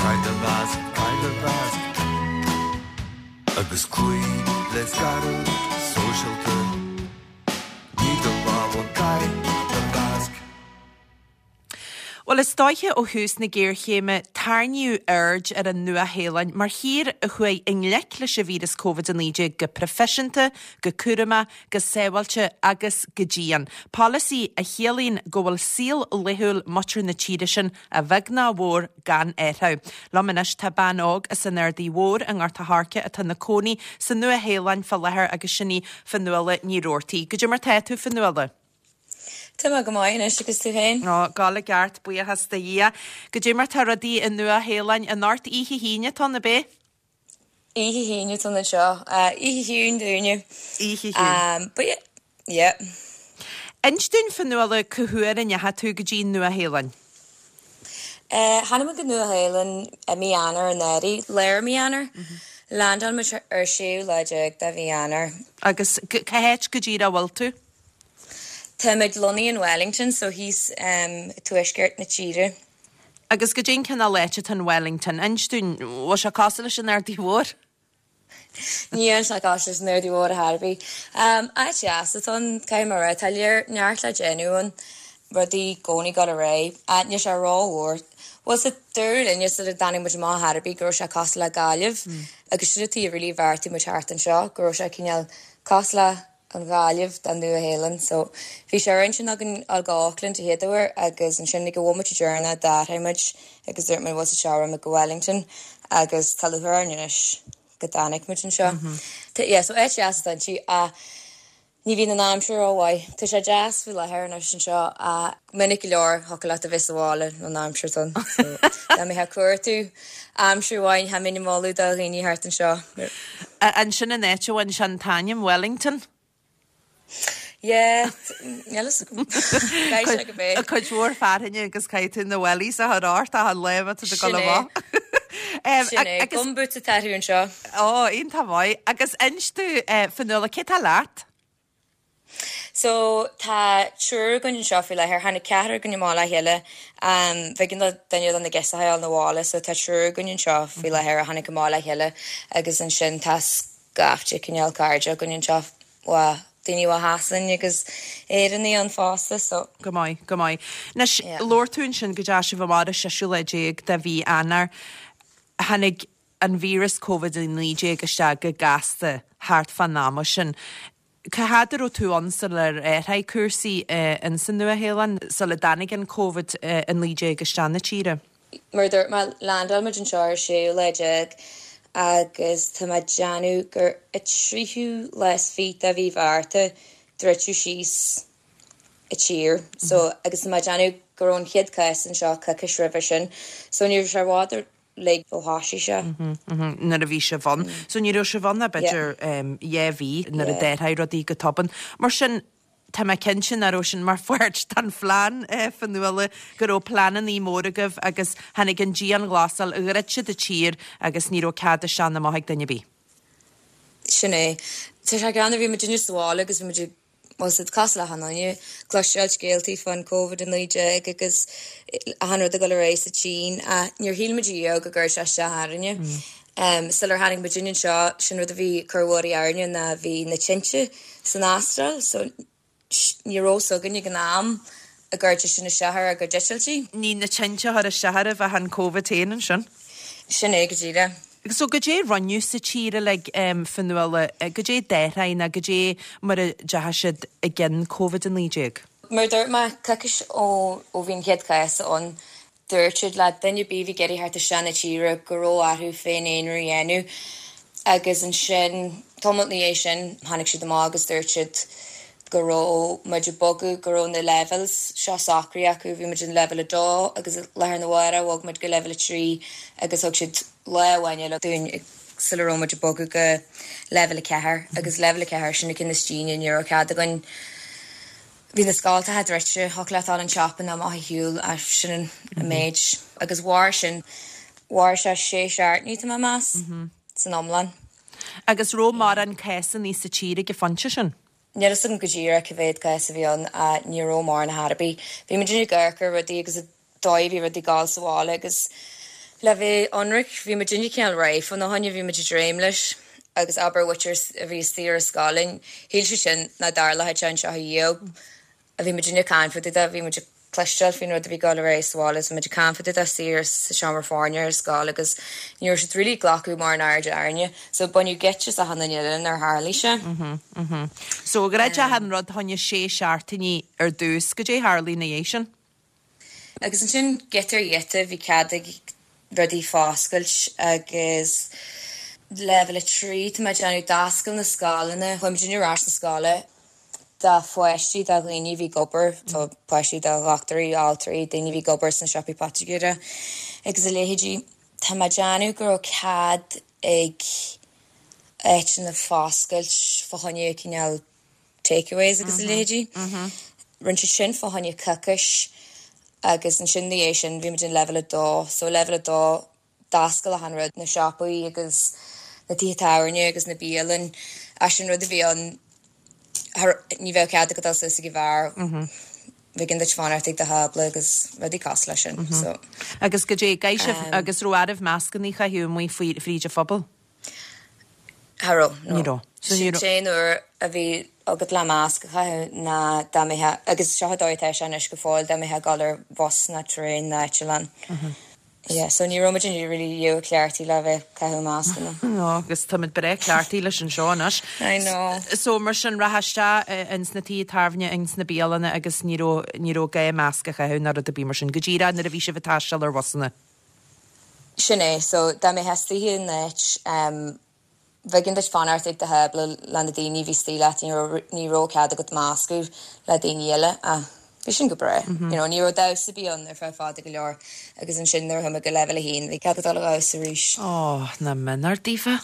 Caith do mhasc, caith do mhasc. Agus cloí le scaradh sóisialta. Nigh do lámha, caith do mhasc. Bhuel, is dóiche ó thús na géarchéime, tarraingíodh aird ar an Nua-Shéalainn mar thír a chuaigh i ngleic leis an víreas Covid-19 go proifisiúnta, go cúramach, go sábháilte agus go dian. Polasaí a chiallaíonn go bhfuil saol laethúil muintir na tíre sin, a bheag ná a mhór, gan athrú. Liom anois tá bean óg as an Ardaidh Mhór i nGort a' Choirce atá ina cónaí sa Nua-Shéalainn fá láthair agus sin í Fionnuala Ní Rabhartaigh. Goidé mar tá tú, Fionnuala? Tá mé go maith anois agus tú féin? Ó, ag gabháil i gceart, buíochas do Dhia. Goidé mar tá rudaí i Nua-Shéalainn anocht Oíche hAoine atá ann, ab é? Oíche hAoine atá ann anseo. Oíche chiúin dúinne. Oíche chiúin. But yeah. Inis dúinn, Fionnuala, cá huair a ndeachaigh tú go dtí an Nua-Shéalainn? Tháinig muid go Nua-Shéalainn i mí Eanáir anuraidh, lár mí Eanáir. Landáil muid ar séú lá déag de mhí Eanáir. Agus cá háit go díreach a bhfuil tú? Táimid lonnaithe in Wellington, so thíos i tuaisceart na tíre. Agus goidé an cineál áit atá in Wellington? Inis dúinn, bhfuil sé cosúil leis an Ardaidh Mhór? Níl sé cosúil leis an Ardaidh Mhór ar chor ar bith. Áit dheas atá ann, caithfidh mé a rá. Tá lear, neart le déanamh ann, rudaí i gcónaí ag dul ar aghaidh. Níl sé rómhór. Bhuel, so dúradh linne sula dtáinig muid amach ar chor ar bith go raibh sé cosúil le Gaillimh agus sin an tuige really a bheartaigh muid theacht anseo, go raibh sé cineál cosúil le an Ghaillimh don Nua-Shéalainn. So, bhí sé ar intinn againn dul go Auckland a chéad uair agus ansin ag an bhomaite deireanach d'athraigh muid agus dúirt muid bhfuil a fhios agat rachaidh muid go Wellington agus tá lúcháir orainn anois go dtáinig muid anseo. Tá, yeah, so áit dheas atá inti ach ní bhíonn an aimsir rómhaith. Tá sé deas faoi láthair anois anseo ach minic go leor thiocfadh leat a bheith sa bhaile ón aimsir atá ann. So, dá mbeifeá ag cuartú aimsir mhaith, cha mbeinn ag moladh do dhaoine thart anseo. Ansin an áit a bhain sé an t-ainm, Wellington. Yeah, níl a fhios agam. Caithfidh sé go b'é. Cuid mhór fearthainne agus caithfidh tú na wellies a chur ort achan lá má tá tú ag dul amach. Sin é. Gumboots atá orthu anseo. Ó, iontach maith. Agus inis domh, Fionnuala, cé tá leat? So, tá triúr againn anseo faoi láthair. Tháinig ceathrar againn amach le chéile. B'éigean do duine de na girseachaí a dhul 'na bhaile so tá triúr againn anseo faoi láthair a tháinig amach le chéile agus ansin tá scaifte cineál cairde againn anseo, bhuel, daoine ó Shasain agus Éireannaigh ann fosta so. Go maith, go maith. Anois, labhair tú ansin go dteachaigh sibh amach ar an seisiú lá déag de mhí Eanáir. Tháinig an víreas Covid-19 isteach go gasta thart fán ama sin. Cá fhad a raibh tú ann sular athraigh cúrsaí ins an Nua-Shéalainn, sula dtáinig an Covid-19 isteach na tíre? Mar a dúirt mé, landáil muid anseo ar séú lá déag agus tá mé ag déanamh gur an tríú lá is fiche de mhí Mhárta druideadh síos an tír. So, agus tá mé ag déanamh go raibh an chéad cás anseo coicís roimhe sin. So ní raibh sé i bhfad uilig ó thoisigh sé. Nuair a bhí sibh ann. So ní raibh sibh ann ach b'fhéidir dhá mhí nuair a d'athraigh rudaí go tobann. Mar sin, tá mé cinnte nach raibh sin mar pháirt den phlean, Fionnuala, go raibh pleanannaí móra agaibh agus tháinig an dianghlasáil, dhruid siad an tír agus ní raibh cead isteach ná amach ag duine ar bith. Sin é. Tá sé greannmhar, bhí muidinne sa bhaile agus bhí muid ag, bhuel, siad cosúil le achan duine, cloisteáil scéaltaí fán Covid-19 agus achan rud ag dul ar aghaidh sa tSín ach níor shíl muid riamh go gcuirfeadh sé isteach orainne. Sular tháinig muidinne anseo, sin rud a bhí ag cur worry orainne ná bhí na tinte san Astráil so Ní raibh fhios againn ag an am an gcuirfeadh sé sin isteach ar ár gcuid eitiltí. Ní na tinte a chuir isteach oraibh ach an Covid féin ansin. Sin é go díreach. So goidé rinneadh sa tír uilig, Fionnuala, goidé d'athraigh nó goidé mar a deachaigh siad i gcionn Covid-19? Mar a dúirt mé, coicís ó bhí an chéad chás ann, Dúirt siad le duine ar bith a bhí ag iarraidh theacht isteach na tíre go raibh orthu féin-aonrú a dhéanamh agus ansin tamall ina dhiaidh sin tháinig siad amach agus dúirt siad go raibh muid ag bogadh, go raibh na levels seo socraithe acu, bhí muid in level 2 agus lá arna mhárach bhog muid go level 3 agus thug siad lá amháin eile dúinn sula raibh muid ag bogadh go level 4 agus level 4 sin an ceann is déine, ní raibh cead againn Bhí na scoltacha druidte, thiocfadh leat dul an siopa nó amach a shiúl ach sin an méid. Agus mhair sin, mhair sé sé seachtainí tá mé ag meas, san iomlán. Agus raibh mórán cásanna sa tír ag an phointe sin? Níl fhios agam go díreach cá mhéad cás a bhí ann ach ní raibh mórán ar chor ar bith. Bhí muid ag amharc ar rudaí agus dóigh a bhí rudaí ag gabháil sa bhaile agus le bheith ionraic bhí muidinne cineál réidh fána choinne, bhí muid ag dréim leis agus abair muintir a bhí istigh ar an scoil linn, shíl siad sin nach dtarlódh sé anseo ariamh. Bhí muidinne ag caint fá dtaobh de, bhí muid ag cloisteáil faoin rud a bhí ag dul ar aghaidh sa bhaile agus bhí muid ag caint fá dtaobh de istigh sa seomra foirne ar scoil agus ní raibh siad really ag glacadh mórán airde orainne so baineadh geit as achan duine eile nuair a tharlaigh sé. So dhruid achan rud fá choinne sé seachtainí ar dtús, goidé a tharlaigh ina dhiaidh sin? Agus ansin giota ar ghiota bhí cead ag rudaí foscailt agus leibhéal 3 tá mé ag déanamh d'oscail na scoileanna, chuaigh muidinne ar ais na scoile do pháistí do dhaoine a bhí ag obair, so páistí do dhochtúirí, altraí, daoine a bhí ag obair sna siopaí poitigéara agus a leithéidí. Tá mé ag déanamh go raibh cead ag áiteanna foscailt fá choinne cineál takeaways agus a leithéidí. Rinne siad sin fá choinne coicís agus ansin ina dhiaidh sin bhí muid in leibhéal 2. So leibhéal 2 d'oscail achan rud, na siopaí agus na tithe tábhairne agus na bialann. Ach sin rud a bhí ann, ní bheadh cead agat dul suas ag an bheár, b'éigean duit fanacht ag do thábla agus rudaí cosúil leis sin. So. Agus goidé, gcaithfidh sibh, agus raibh oraibh mascannaí a chaitheamh amuigh fríd an phobal? Cha raibh, no. Ní raibh. So ní raibh. Sin an t-aon uair a bhí agat le masc a chaitheamh ná dá mbeifeá, agus seo an dóigh atá sé anois go fóill, dá mbeifeá ag dul ar bhus ná traein ná eitleán. Yeah, so ní raibh muid really riamh cleachtaithe le bheith ag caitheamh mascanna. No, agus táimid breá cleachtaithe leis anseo anois. I know. So mar sin, rachfá isteach ins na tithe tábhairne, ins na bialanna agus ní raibh, ní raibh gá masc a chaitheamh ná rud ar bith mar sin, go díreach nuair a bhí sibh ag taisteal ar bhusanna. Sin é. So, dá mbeifeá istigh in áit, em, b'éigean duit fanacht ag do thábla le na daoine a bhí istigh leat, ní raibh, ní raibh cead agat meascadh le daoine eile ach bhí sin go breá. You know, ní raibh damhsa ar bith ann ar feadh fada go leor agus ansin nuair a chuaigh muid go leibhéal a haon bhí cead ag dul a dhamhsa arís. Ó, nach méanar daofa.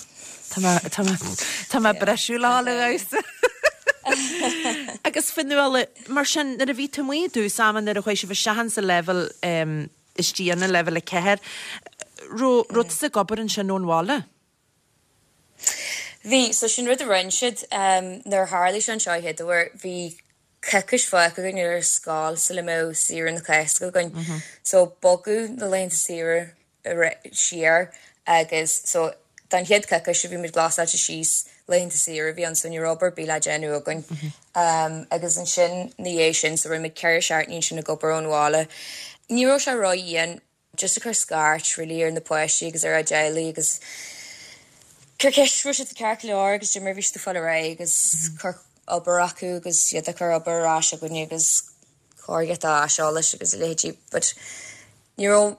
Tá mé, tá mé, tá mé briseadh le dhul a dhamhsa. Agus Fionnuala, mar sin, nuair a bhí tú amuigh i dtús ama, nuair a chuaigh sibh isteach insa leibhéal, em, istigh ann, leibhéal 4. Raibh raibh tusa ag obair ansin ón bhaile? Bhí, so sin rud a rinne siad nuair a tharlaigh sé anseo an chéad uair, bhí coicís fágtha againn ar scoil sula mbeadh saoire na Cásca againn. So bogadh na laethanta saoire siar agus so don chéad choicís a bhí muid glasáilte síos, laethanta saoire a bhí ann so ní raibh obair ar bith le déanamh againn. Agus ansin ina dhiaidh sin so rinne muid 4 seachtainí ansin ag obair ón bhaile. Ní raibh sé ró-dhian just ag cur scairt really ar na páistí agus ar a dteaghlaigh agus cur ceist raibh siad ceart go leor agus cad é mar a bhí siad ag fáil ar aghaidh agus cur obair acu agus iad ag cur obair ar ais chugainne agus cur giota aiseolais agus a leithéidí but ní raibh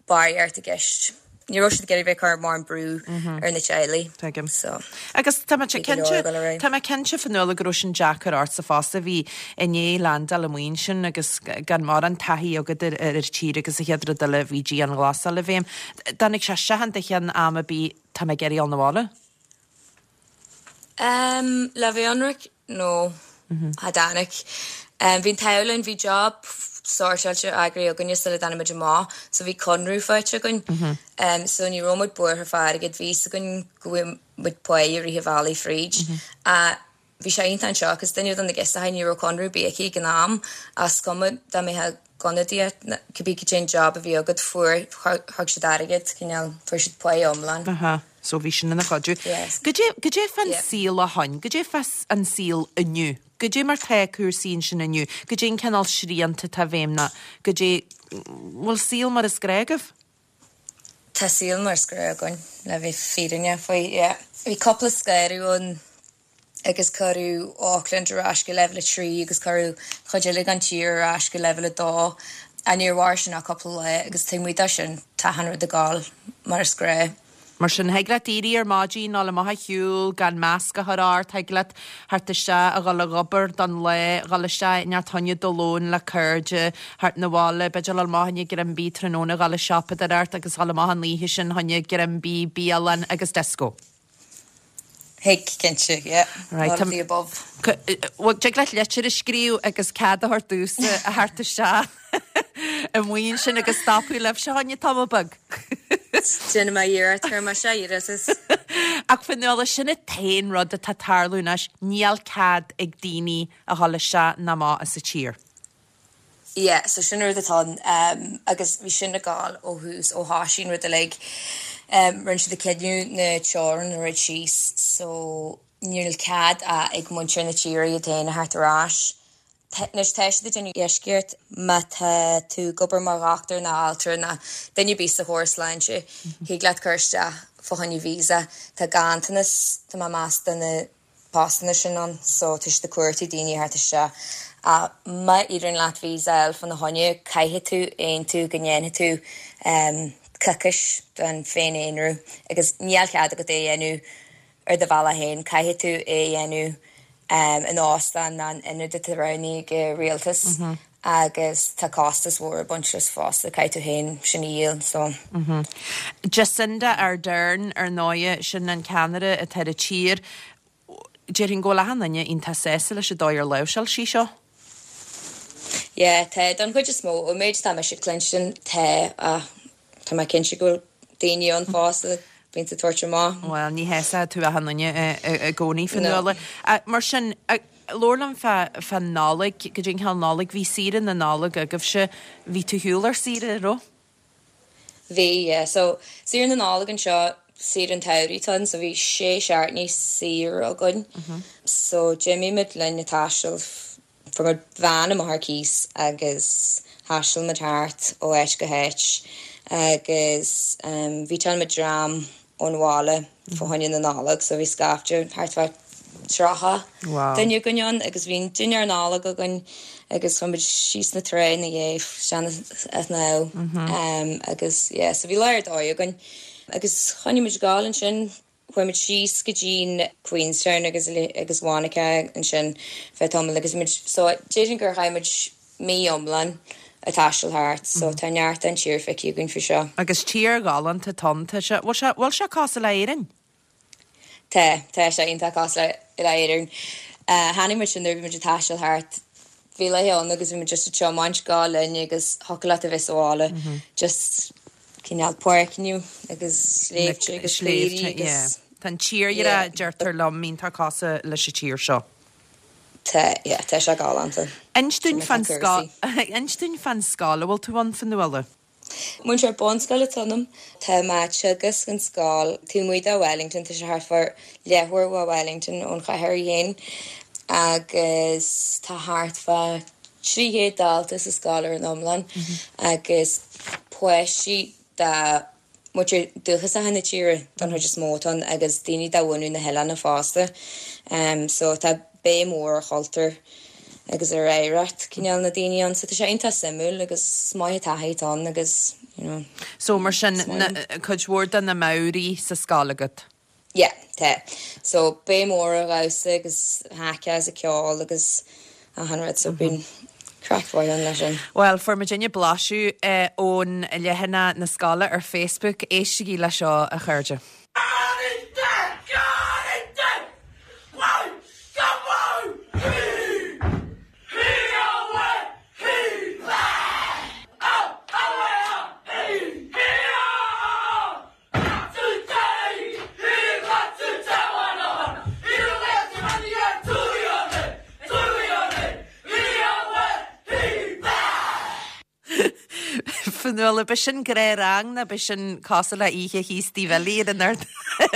barraíocht i gceist. Ní raibh siad ag iarraidh bheith ag cur mórán brú ar na teaghlaigh. Tuigim. So, Agus tá mé cinnte, tá mé cinnte Fionnuala go raibh sin deacair ortsa fosta, a bhí i ndiaidh landáil amuigh ansin agus gan mórán taithí agat ar ar an tír agus an chéad rud eile bhí dianghlasáil i bhfeidhm. Dtáinig sé isteach in do cheann am ar bith tá mé ag iarraidh dul 'na bhaile? Um, le bheith ionraic, no. Cha dtáinig. Bhí an t-ádh linn, bhí job sórtáilte eagraithe againne sula dtáinig muid amach so bhí conradh faighte againn. So ní raibh muid buartha fá airgead, bhí fhios againn go bhfuigheadh muid pá i rith an bhealaigh fríd. Bhí sé iontach anseo cos duine de na girseachaí ní raibh conradh ar bith aici ag an am ach is cuma dá mbeifeá ag ionadaíocht nó cibé cad é an job a bhí agat fuair thug siad airgead cineál fuair siad pá iomlán. Aha so bhí sin ina chuidiú. Yes. Goidé goidé fán Yeah. saol ó shoin, goidé fá an saol inniu, goidé mar tá cúrsaí ansin inniu, goidé an cineál srianta atá i bhfeidhm nó goidé bhfuil saol mar is gnách agaibh? Tá saol mar is gnách againn le bheith fírinneach faoi yeah. Bhí cúpla scaradh ann agus cuireadh Auckland ar ais go leibhéal 3 agus cuireadh chuid eile den tír ar ais go leibhéal 2. Ach níor mhair sin ach cúpla lá agus taobh amuigh de sin tá achan rud ag gabháil mar is gnách. Mar sin, thig leat éirí ar maidin, dul amach a shiúl, gan masc a chur ort, thig leat theacht isteach a dhul ag obair don lá, dhul isteach i neart choinne do lóin le cairde, theacht 'na bhaile, b'fhéidir dhul amach choinne greim bídh tráthnóna, dhul ag siopadóireacht agus dhul amach an oíche sin choinne greim bídh, bialann agus disco. Thig, cinnte, yeah. Right, All of the above. Bhuel, tig leat litir a scríobh agus cead a thabhairt domhsa a theacht isteach amuigh ansin agus stopadh libhse choinne tamall beag. Déanfaidh mé iarracht, cuirfidh mé sé iarratas. Ach Fionnuala, sin an t-aon rud atá ag tarlú anois, níl cead ag daoine a dhul isteach ná amach as an tír. Yeah, so sin an rud atá ann um agus bhí sin ag gabháil ó thús, ó thoisigh an rud uilig. Um rinne siad an cinneadh na teorann a dhruid síos so níl cead ach ag muintir na tíre iad féin a theacht ar ais. Anois tá siad ag déanamh eisceacht má tá tú ag obair mar dhochtúir nó altra nó duine ar bith sa chóras sláinte, thig leat cur isteach fá choinne visa. Tá ganntanas, tá mé ag meas, de na postanna sin ann so tá siad ag cuartú daoine a theacht isteach ach má éiríonn leat visa a fháil fána choinne caithfidh tú aontú go ndéanfaidh tú coicís den féin-aonrú agus níl cead agat é a dhéanamh ar do bhealach féin, caithfidh tú é a dhéanamh in óstán nó in ionad atá roghnaithe ag an rialtas. Agus tá costas mhór ag baint leis fosta, caithfidh tú féin sin a dhíol, so. Jacinda Ardern, ar ndóighe, sin an ceannaire atá ar an tír. Déarfainn go bhfuil achan duine iontach sásta leis an dóigh ar láimhseáil sí seo. Yeah, tá, don chuid is mó. Ón méid atá mise ag cluinstin, tá, ach Tá mé cinnte go bhfuil daoine ann fosta a bhíonns ag tabhairt amach. Bhuel, ní shásóidh tú achan duine i gcónaí, Fionnuala. Mar sin, labhair liom fá Nollaig, goidé an cineál Nollaig, bhí saoire na Nollag agaibhse, bhí tú ar shiúl ar saoire, an raibh? Bhí, yeah. So, saoire na Nollag anseo, saoire an tsamhraidh atá ann, so bhí sé seachtainí saor againn. So, d'imigh muid linn ag taisteal Fuair muid veain amach ar cíos agus thaistil muid thart ó áit go háit agus bhíteáil muid dream ón bhaile fá choinne na Nollag so bhí scaifte thart fá 30 duine againn ann agus bhí an dinnéar Nollag againn agus chuaigh muid síos na trá ina dhiaidh isteach an snámh agus yeah so bhí lá ar dóigh againn agus choinnigh muid ag gabháil ansin Chuaigh muid síos go dtí'n Queenstown agus agus Wanaka ansin feadh tamaill agus muid so déarfainn gur chaith muid mí iomlán ag taisteal thart so tá neart den tír feicthe againn faoi seo. Agus tír ghalánta atá ann, tá sé, bhfuil sé, bhfuil sé cosúil le Éirinn? Tá, tá sé iontach cosúil le Éirinn. Chonaic muid sin nuair a bhí muid ag taisteal thart, bhí laethe ann agus bhí muid just ag tiomáint ag gabháil linn agus thiocfadh leat a bheith sa bhaile just cineál páirceanna agus sléibhte agus caoirigh agus. Tá an tírdhreach, deirtear liom, iontach cosúil leis an tír seo. Tá, yeah, tá sé galánta. Inis dúinn fán scoil, inis dúinn fán scoil a bhfuil tú ann, Fionnuala. Múinteoir bunscoile atá ionam. Tá mé ag teagasc in scoil taobh amuigh de Wellington, tá sé thart fá leathuair ó Wellington ón chathair í féin agus tá thart fá 300 dalta sa scoil ar an iomlán agus páistí de mhuintir dúchasacha na tíre don chuid is mó atá ann agus daoine de bhunadh na hoileáin fosta. So tá béim mhór ar chultúr agus ar oidhreacht cineál na daoine ann. So tá sé iontach suimiúil agus is maith an taithí atá ann agus you know. So mar sin, cuid mhór de na Maori sa scoil agat? Yeah, tá. So, béim mhór ar dhamhsa agus haka agus ceol agus achan rud, so bíonn craic mhaith ann leis sin. Bhuel, fuair muidinne blaiseadh ón leathanach na scoile ar Facebook. Éistigí le seo, a chairde. Fionnuala, b'é sin gnáthrang nó b'é sin cosúil le oíche Chríostaí Bhilí ar an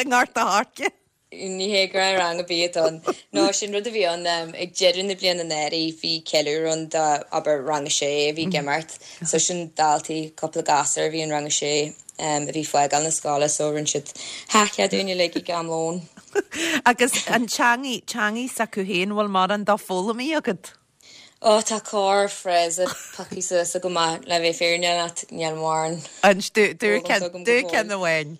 i nGort a' Choirce? Ní hé gnáthrang ar bith atá ann. No, sin rud a bhí ann ag deireadh na bliana anuraidh, bhí ceiliúradh ann do, abair, rang a sé a bhí ag imeacht. So sin daltaí, cúpla gasúr a bhí in rang a sé a bhí ag fágáil na scoile so rinne siad theach dúinn uilig ag am lóin. Agus an teangaidh, teangaidh s'acu féin, bhfuil mórán dó foghlamtha agat? Ó, tá corr-fhrása pioctha suas agam ach le bheith fírinneach leat, níl mórán Inis dúinn ceann amháin.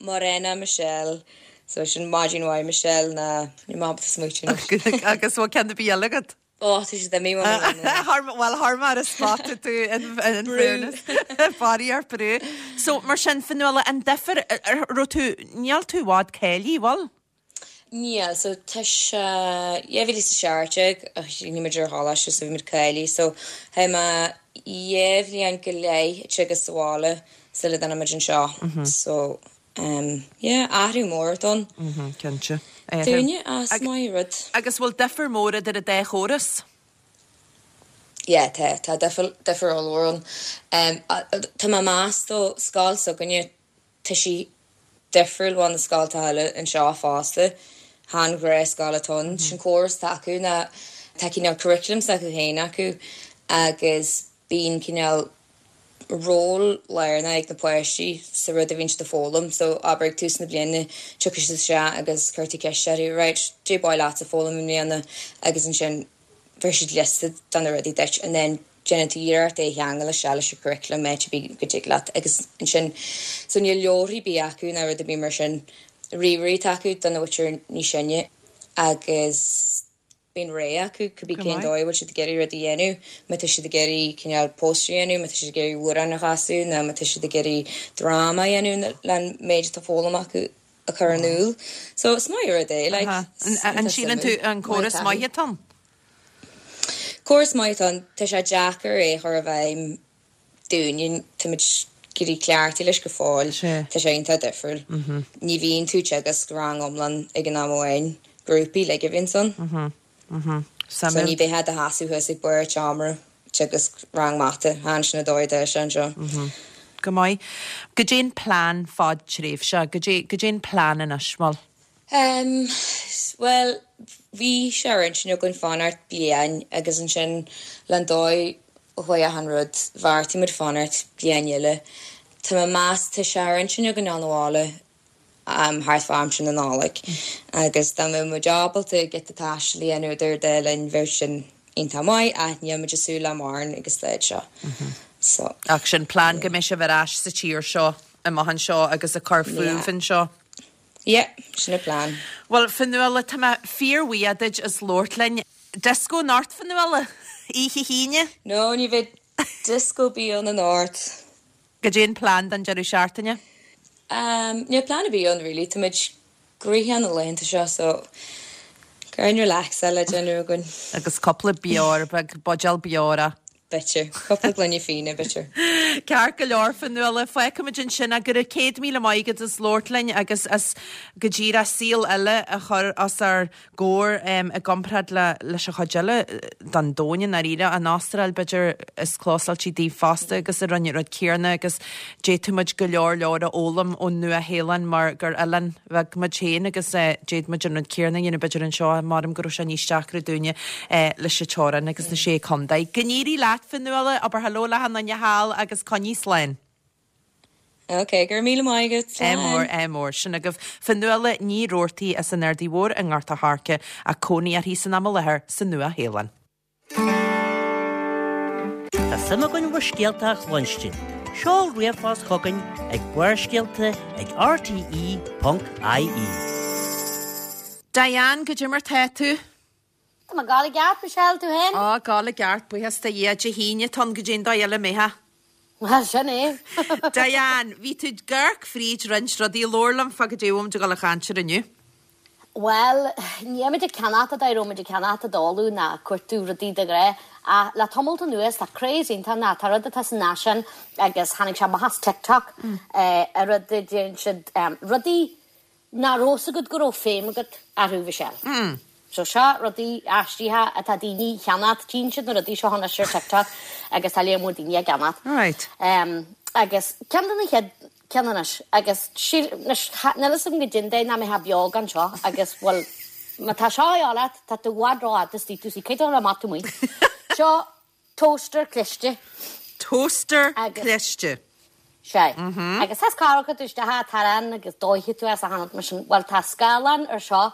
Mōrena Michelle. So sin maidin mhaith Michelle ná níl mé ábalta smaoitiú anois. Agus bhfuil ceann ar bith eile agat? Ó, tá siad imithe uaim an uair. Bhuel, chuir mé ar an spot tú in fairness. Faraor brú. So mar sin, Fionnuala, an difear, raibh tú, níl tú i bhfad cáilithe, bhfuil? Níl, so tá sé 2017 a chríochnaigh muid ar choláiste so bhí muid cáilithe so chaith mé dhá bhliain go leith ag teagasc sa bhaile sula dtáinig muid anseo so um yeah athrú mór atá ann. Cinnte. Dúinne is maith rud. Agus bhfuil difear mór idir an dá chóras? Yeah tá, tá difear, difear ollmhór ann. Um tá mé ag meas though scoil s'againne Tá sí difriúil ó na scoltacha eile anseo fosta. Chan gnáthscoil atá ann. Sin córas atá acu ná tá cineál curriculum s'acu féin acu agus bíonn cineál ról lárnach ag na páistí sa rud a bhíonn siad ag foghlaim. So abair ag tús na bliana tiocfaidh siad isteach agus cuirfidh tú ceist orthu, right, cad é ba mhaith leatsa foghlaim i mbliana agus ansin bheir siad liosta de na rudaí duit and then déanann tú iarracht é a cheangal isteach leis an curriculum áit ar bith go dtig leat agus ansin so níl leabharthaí ar bith acu ná rud ar bith mar sin, ríomhairí atá acu do na mhuintir níos sine agus bíonn rogha acu cibé cén dóigh a bhfuil siad ag iarraidh rud a dhéanamh, má tá siad ag iarraidh cineál póstaer a dhéanamh, má tá siad ag iarraidh amhrán a chasadh nó má tá siad ag iarraidh dráma a dhéanamh le an méid atá foghlamtha acu a chur in iúl. So is maith rud é, like. An síleann tú an córas maith atá ann? Córas maith atá ann. Tá sé deacair é a chur i bhfeidhm dúinne. Táimid ag éirí cleachtaithe leis go fóill. Tá sé iontach difriúil. Ní bhíonn tú ag teagasc rang iomlán ag an am amháin. Grúpaí uilig a bhíonns ann. So ní bheifeá i do sheasamh thuas ag barr an tseomra ag teagasc rang mata. Chan sin an dóigh atá sé anseo. Go maith. Goidé an plean fadtréimhse? Goidé an plean anois, bhuel? Em, bhuel, bhí sé ar intinn againn fanacht bliain agus ansin le an dóigh a chuaigh achan rud, bheartaigh muid fanacht bliain eile. Tá mé ag meas, tá sé ar intinn againn dul abhaile em thart fá aimsir na Nollag agus dá mbeadh muid ábalta giota taistil a dhéanamh idir an dá linn bheadh sin iontach maith ach níl muid ag súil le mórán ag an staid seo. So. Ach sin plean go mbeidh sibh ar ais sa tír seo amach anseo agus ag cur fúibh anseo. Yeah, sin an plean. Bhuel, Fionnuala, tá mé fíorbhuíoch duit as labhairt linn. Disco anocht, Fionnuala? Oíche hAoine? No, ní bheidh disco ar bith ann anocht. Goidé an plean don deireadh seachtaine? Um, níl plean ar bith ann really, tá muid gnoitheach na laethanta seo so go relaxáil le déanamh againn. Agus cúpla beoir beag, buidéal beora. B'fhéidir. Cúpla gloine fíona, b'fhéidir. Ceart go leor, Fionnuala, fágfaimid ansin é. Go raibh 100,000 maith agat as labhairt linn agus as go díreach saol eile a chur os ár gcomhair i gcomparáid le leis an chuid eile den domhan i ndáiríre. An Astráil, b'fhéidir, is clósáilte daoibh fosta agus a rinne an rud céanna agus d'fhéadfadh muid go leor leor a fhoghlaim ón Nua-Shéalainn mar gur oileán bheag muid féin agus d'fhéadfadh muid an rud céanna a dhéanamh b'fhéidir anseo, maram go raibh sé níos deacra dúinne leis an teorainn agus na sé contae. Go n-éirí leat, Fionnuala, abair hello le achan duine thall agus coinnigh slán. Ok, go raibh míle maith agat, Ádh mór, slán. ádh mór. Sin agaibh Fionnuala Ní Rabhartaigh as an Ardaidh Mhór i nGort a' Choirce ach cónaí uirthi san am i láthair sa Nua-Shéalainn. Tá suim againn bhur scéalta a chluinstin. Seol ríomhphost chugainn ag Barrscéalta ag rte.ie. Diane, goidé mar tá tú? Tá mé ag gabháil i gceart, Michelle, tú féin? Á, ag gabháil i gceart, buíochas do Dhia. Dé hAoine atá ann, goidé an dóigh eile a mbeifeá? Bhuel, sin é. Diane, bhí tú ag amharc fríd roinnt rudaí, labhair liom fá goidé a bhfuil muid ag dul a chaint air inniu. Bhuel, níl muid ag ceannacht an dóigh a raibh muid ag ceannacht i dtólamh ná cuartú rudaí de ghnáth, ach le tamalt anuas tá craze iontach ná tá rud atá san fhaisean agus tháinig sé amach as TikTok, an rud a deireann siad, rudaí nach raibh fhios agat go raibh feidhm agat orthu, Michelle. So seo rudaí aisteacha atá daoine a cheannacht, tchíonn siad na rudaí seo anois ar TikTok agus tá léar mór daoine á gceannacht. Right. Agus ceann de na chéad ceann anois agus síl, anois níl fhios agam goidé an dóigh nach mbeifeá beo gan seo agus bhuel má tá seo a dhíobháil leat tá tú i bhfad rófhada istigh tú sí caithfidh tú a dhul amach taobh amuigh. Seo toaster cliste. Toaster cliste. Sea. Agus tá scarúchadh tú isteach an t-arán agus dóichfidh tú as a tháinig mar sin. Bhuel tá scáileán ar seo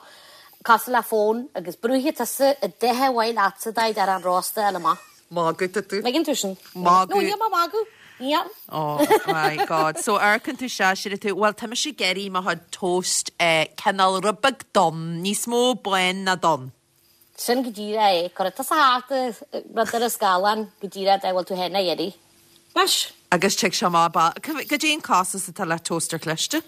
cosúil le fón agus brúfaidh tusa an dath ar mhaith leatsa d'aghaidh arán rósta a fháil amach. Magadh tá tú. Ligeann tú sin. Magadh. No, níl mé ag magadh. Níl. Oh my God. So amharcann tú isteach is deireann tú, bhuel tá mise ag iarraidh mo chuid toast eh cineál rud beag donn, níos mó bán ná donn. Sin go díreach é. Cuirfidh tusa thart rud ar an scáileán go díreach dá bhfuil tú féin a iarraidh. Anois. Agus tig sé amach ba. Goidé an costas atá le toaster cliste?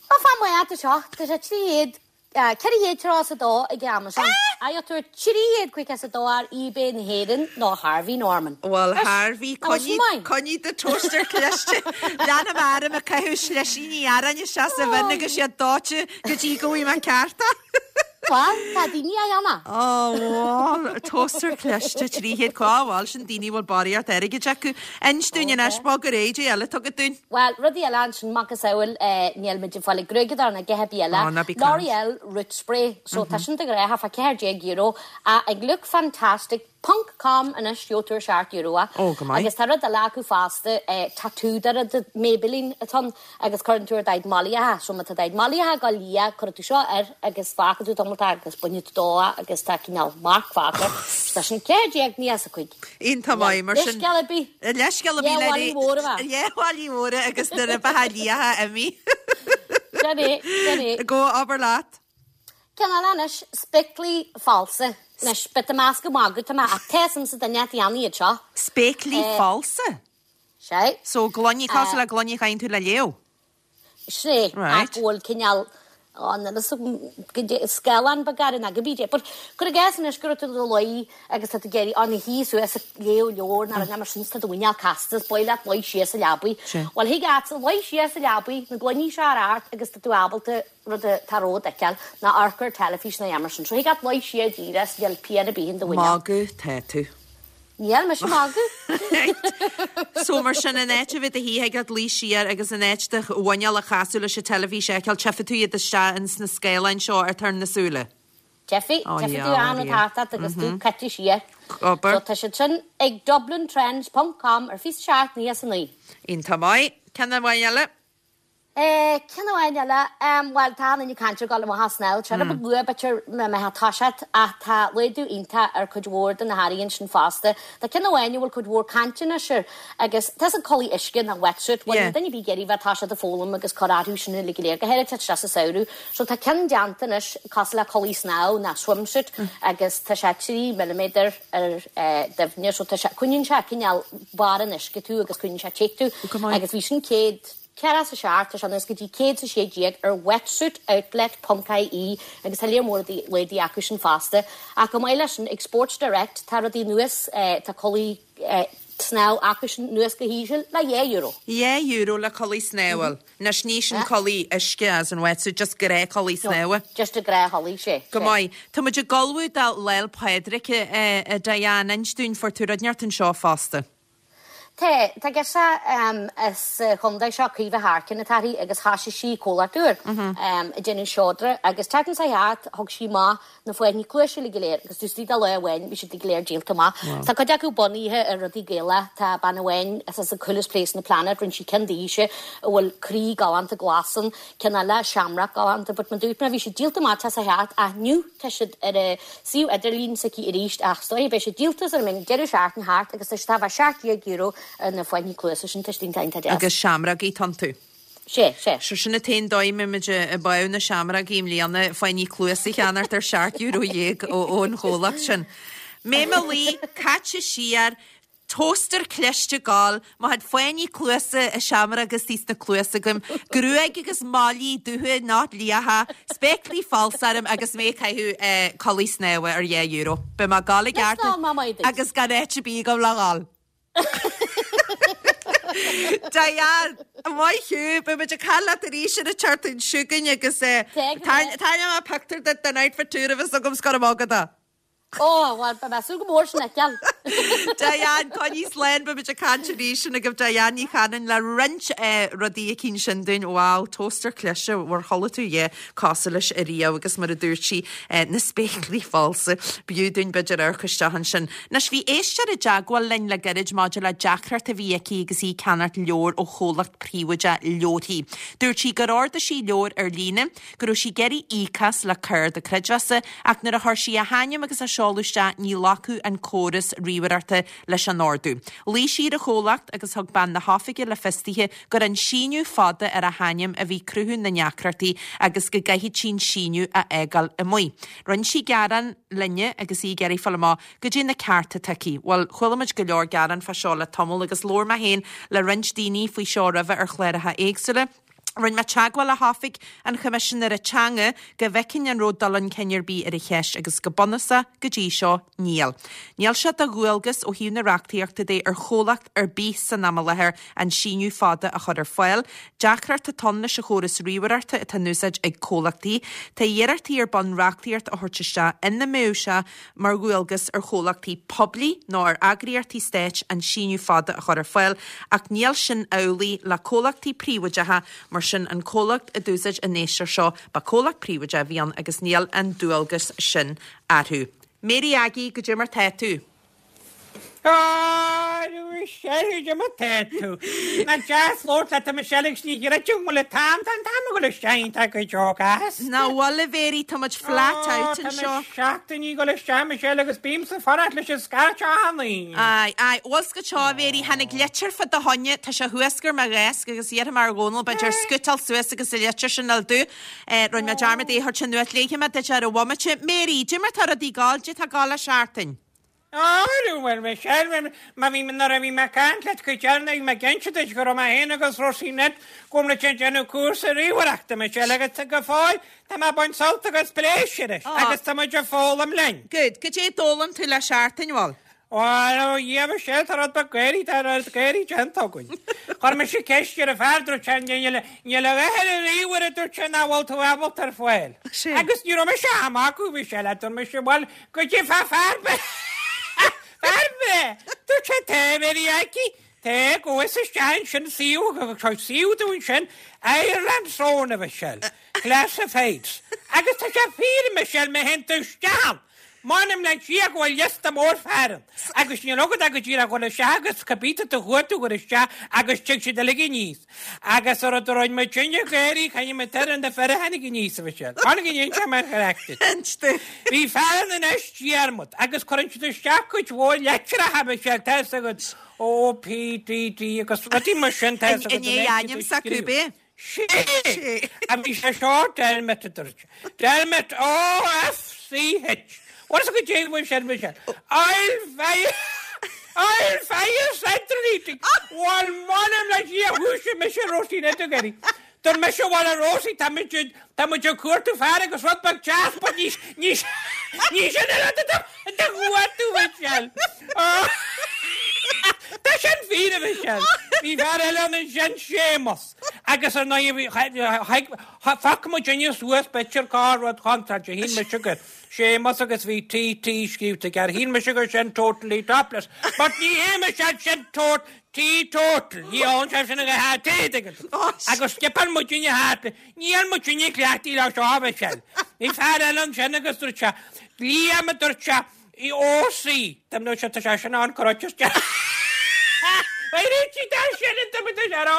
Bhuel, fan maith atá seo. Tá sé 300 432 ag Amazon. Faigheann tú 352 ar eBay na hÉireann nó Harvey Norman. Bhuel Harvey, coinnigh, coinnigh do toaster cliste. Leanfaidh mé orm ag caitheamh slisíní aráin isteach sa bhinn agus iad dóite go dtí go bhfaighidh mé ceart é. Bhuel, tá daoine á dhéanamh. Ó, bhuel, toaster cliste 300, cá bhfuil sin daoine a bhfuil barraíocht airgid acu. Inis dúinn anois, bog ar aghaidh, goidé eile atá agat dúinn. Bhuel, rudaí eile ansin, macasamhail, níl muid ag fáil ag gruaigeadóir ná a dhath ar bith eile. Ó, ná bí ag caint. L'Oreal Root Spray, so tá sin de ghnáth fá €14 ach ag Lookfantastic ponc com anois gheobhaidh tú ar €7 é. Ó, go maith. Agus tá rud eile acu fosta, tattoo de rud Maybelline atá ann agus cuireann tú ar d'aghaidh mallaithe, so má tá d'aghaidh mallaithe ag dul liath, cuirfidh tú seo air agus fágfaidh tú tamall agus bainfidh tú dó é agus tá cineál marc fágtha air. So tá sin 14.95. Iontach maith, mar sin. Leithscéal ar bith. Leithscéal ar bith le Leathmhálaí mhóra a bheith. Leathmhálaí mhóra agus na ribeacha liatha imithe. Sin é, sin é. Go, abair leat. Ceann eile anois, spéaclaí falsa. Anois, beidh tú ag meas gur ag magadh atá mé, ach tá a fhios a'msa duine a dhéanann iad seo. Spéaclaí falsa? Sea. So, gloiní, cosúil le gloiní a chaitheann tú le léamh? Sea, ach go bhfuil cineál, á, níl fhios agam, scáileán beag air nó cibé dé. But cuir i gcás anois go raibh tú i do luí agus tá tú ag iarraidh, á, ina shuí suas ag léamh leabhar nó rud mar sin is tá do mhuineál casta is ba mhaith leat luí siar sa leabaidh. Bhuel, thig leatsa luí siar sa leabaidh, na gloiní seo a chur ort agus tá tú ábalta rud atá romhat a fheiceáil, ná amharc ar teilifís ná a dhath mar sin. So thig leat luí siar díreach is níl pian ar bith in do mhuineál. Magadh tá tú. Níl mise ag magadh. So mar sin, in áit a bheith i do shuí, thig leat luí siar agus in áit do mhuineál a chasadh leis an teilifís a fheiceáil, tchífidh tú iad isteach ins na scáileáin seo atá ar na súile. Tchífidh, tchífidh tú an rud thart ort agus tú caite siar. Obair. So tá siad sin ag dublintrends ponc com ar 27 99. Iontach maith. Ceann amháin eile. Ceann amháin eile, bhuel tá an duine ag caint ar dhul amach ag snámh, tá rud beag luath b'fhéidir má mbeifeá ag toiseacht ach tá laghdú iontach ar cuid mhór de na hearraí ansin fosta. Tá ceann amháin a bhfuil cuid mhór cainte anois air agus tá an culaith uisce nó wetsuit, bhuel níl duine ar bith ag iarraidh bheith ag toiseacht ag foghlaim agus cur orthu sin uilig go léir, go háirithe ag teacht isteach sa samhradh. So tá ceann déanta anois cosúil le culaith snámha nó swimsuit agus tá sé 3 milliméadar ar doimhne so tá sé, coinníonn sé cineál barr an uisce tú agus coinníonn sé te tú agus bhí sin 100 47, tá sé anuas go dtí 116 ar wetsuitoutlet ponc ie agus tá léar mór laghdaithe acu sin fosta. Ach chomh maith leis sin, ag Sports Direct tá rudaí anuas, tá culaith snámha acu sin anuas go híseal le €2. €2 le culaith snámha. Anois ní sin culaith uisce as in wetsuit, just gnáthchulaith snámha. Just a gnáthchulaith, sea. Go maith. Tá muid ag ullmhú do Lá'l Pádraig, a Diane. Inis dúinn, fuair tú rud inteacht anseo fosta. Tá, tá girseach as an chontae seo, Caoimhe Harkin atá uirthi agus thoisigh sí comhlacht úr ag déanamh seodra agus tseachtain seo thart thug sí amach na fáinní cluaise uilig go léir agus taobh istigh de lá amháin bhí siad go léir díolta amach. Tá cuid acu bunaithe ar rudaí Gaelach, tá bean amháin as as the coolest place on the planet, rinne sí ceann daoithe a bhfuil croí galánta glas ann, ceann eile seamróg galánta but mar dúirt mé bhí siad díolta amach tseachtain seo thart ach inniu tá siad ar a suíomh idirlín s'aici arís ach is dóigh beidh siad díolta sara mbeidh an deireadh seachtaine thart agus tá siad á bheith €17 ar na fáinní cluasa sin, tá siad iontach iontach deas. Agus seamrógaí atá iontu. Sea, sea. So sin an t-aon dóigh a mbeidh muid ag báú na seamrógaí i mbliana, fáinní cluasa a cheannacht ar €17 ón chomhlacht sin. Mé mo luí, caite siar, Toaster cliste ag gabháil, mo chuid fáinní cluasa is seamróga istigh sna cluasa agam, gruaig agus malaí dubha not liatha, spéaclaí falsa orm agus mé ag caitheamh culaith snámha ar €2. Beidh mé ag gabháil i gceart agus gan áit ar bith agam le dhul. Diane, maith thú, beidh muid ag caint leat arís ar an tseachtain seo chugainn agus tarraingeoidh mé pictiúr duit den outfit úr a bheas agam is go raibh maith agat. Ó, bhuel, beidh mé ag súil go mór sin a fheiceáil. Diane, coinnigh slán, beimid ag caint arís sin agaibh Diane Ní Chanainn le roinnt rudaí eicínt sin dúinn. Wow, toaster cliste, ar chuala tú a dhath cosúil leis ariamh agus mar a dúirt sí, na spéaclaí falsa. B'fhiú dúinn b'fhéidir amharc isteach ansin. Anois, bhí éisteoir i dteagmháil linn le gairid maidir le deacracht a bhí aici agus í ag ceannacht leabhar ó chomhlacht príobháideach leabharthaí. Dúirt sí gur ordaigh sí leabhar ar líne, go raibh sí ag iarraidh íoc as le cárta creidmheasa ach nuair a chuir sí a hainm agus a seoladh isteach ní ghlacfadh an córas ríomhaireachta leis an ordú. Ghlaoigh sí ar an chomhlacht agus thug bean na hoifige le fios dithe gur an síneadh fada ar a hainm a bhí cruthú na ndeacrachtaí agus go gcaithfeadh sí an síneadh a fhágáil amuigh. Rinne sí gearán linne agus í ag iarraidh fáil amach goidé na cearta atá aici. Bhuel, chuala muid go leor gearán fá seo le tamall agus labhair mé féin le roinnt daoine faoi seo roimhe ar chláracha éagsúla. Rinne mé teagmháil le hOifig an Choimisinéara Teanga go bhfeicfinn an raibh dul chun cinn ar bith ar an cheist agus go bunúsach, go dtí seo, níl. Níl sé de dhualgas ó thaobh na reachtaíochta de ar chomhlacht ar bith san am i láthair an síneadh fada a chur ar fáil. Deacracht atá ann leis an chóras ríomhaireachta atá in úsáid ag comhlachtaí. Tá iarrachtaí ar bun reachtaíocht a thabhairt isteach ina mbeadh sé mar dhualgas ar chomhlachtaí poiblí nó ar eagraíochtaí stáit an síneadh fada a chur ar fáil, ach níl sin amhlaidh le comhlachtaí príobháideacha, mar sin an comhlacht a d'úsáid an éisteoir seo, ba comhlacht príobháideach a bhí ann agus níl an dualgas sin orthu. Mary Aggie, goidé mar tá tú? A Mhichelle, goidé mar tá tú? Nach deas labhairt leat a Michelle agus ní chreidim go bhfuil an t-am, tá an t-am ag dul isteach iontach go deo gasta. Nach bhfuil a Mhary, tá muid flat out anseo. Tá na seachtainí ag dul isteach Michelle agus bímse ag fanacht leis an scairt achan Aoine. Aye, aye, bhfuil 's agat seo a Mhary, tháinig litir fá do choinne, tá sé thuas ar mo dheasc agus iarrfaidh mé ar Dhónal b'fhéidir scútáil suas agus an litir sin a fháil domh. Rinne mé dearmad é a thabhairt anuas, léifidh mé duit ar an bhomaite. Mary, goidé mar tá rudaí ag gabháil, goidé tá ag gabháil le seachtain. Arú, bhuel, Michelle, má bhí, nuair a bhí mé ag caint leat go deireanach, bhí mé ag inse duit go raibh mé féin agus Róisín Ned, go bhfuil muid ag déanamh cúrsa ríomhaireachta, Michelle, agus go fóill, tá mé ag baint sult agus pléisiúr as, agus tá muid ag foghlaim linn. Good. Goidé a d'fhoghlaim tú le seachtain, bhuel? Bhuel, ó Dhia, Michelle, tá rud beag gáirí, tá rud gáirí déanta againn. Chuir mise ceist ar an fear, dúirt sé, níl, níl a dhath ar an ríomhaire, dúirt sé, nach bhfuil tú ábalta ar fáil. Agus ní raibh mise á magadh, Michelle, dúirt mise, bhuel, Goidé fá fear fear breá! Dúirt sé tá Mary Aggie, tá, gabh isteach ansin suíomh, tá suíomh dúinn sin, Ireland's Own a Mhichelle, Classifieds. Agus tá sé fíor a Mhichelle, má théann tú isteach ann, m'anam le Dia go bhfuil liosta mór fear ann. Agus níl agat ach go díreach a dhul isteach agus cibé tá tú a chuartú a chur isteach agus tig siad uilig aníos. Agus an rud a rinne muid sin ag éirí, caithfidh muid ar na fir a tháinig aníos, a Mhichelle. Tháinig an inse mar charachtar. Bhí fear ann anois, Diarmuid, agus cuireann siad isteach cuid mhór litreacha, a Mhichelle, tá fhios agat, O, P, D, D agus rudaí mar sin, tá fhios agat. I ndiaidh ainm s'acu, b'é? Sé! A bhí sé seo, Dermot, a dúirt sé. Dermot, O, F, C, H. Bhfuil fhios agat goidé a bhfuil sé, a Mhichelle? Oil fire! Oil fire central heating! Bhuel, m'anam le Dia, dhúisigh mise Róisín ag éirí. Dúirt mise, bhuel, a Róisín, tá muid, tá muid ag cuartú fear agus rud beag deas, but ní, ní, ní sin an rud atá ag cuartú, Michelle. Tá sin fíor, a Mhichelle. Bhí fear eile ann ansin, Séamus. Agus ar ndóigh, bhí, phioc muidinne suas b'fhéidir corr-rud contráilte, shíl mise gur Séamus agus bhí TT scríobhta aige air, shíl mise gur sin totally topless. But ní hé Michelle, sin tot, teetotal, ní fhágann sé sin a dhath T Agus scipeáil muidinne thart, níl muidinne cleachtaithe leo seo, a Mhichelle. Bhí fear eile ansin agus dúirt sé, Liam a dúirt sé, I OC, Tá nó sé tá sé sin ann cur isteach. Réitigh dá sin an duine tá sé rá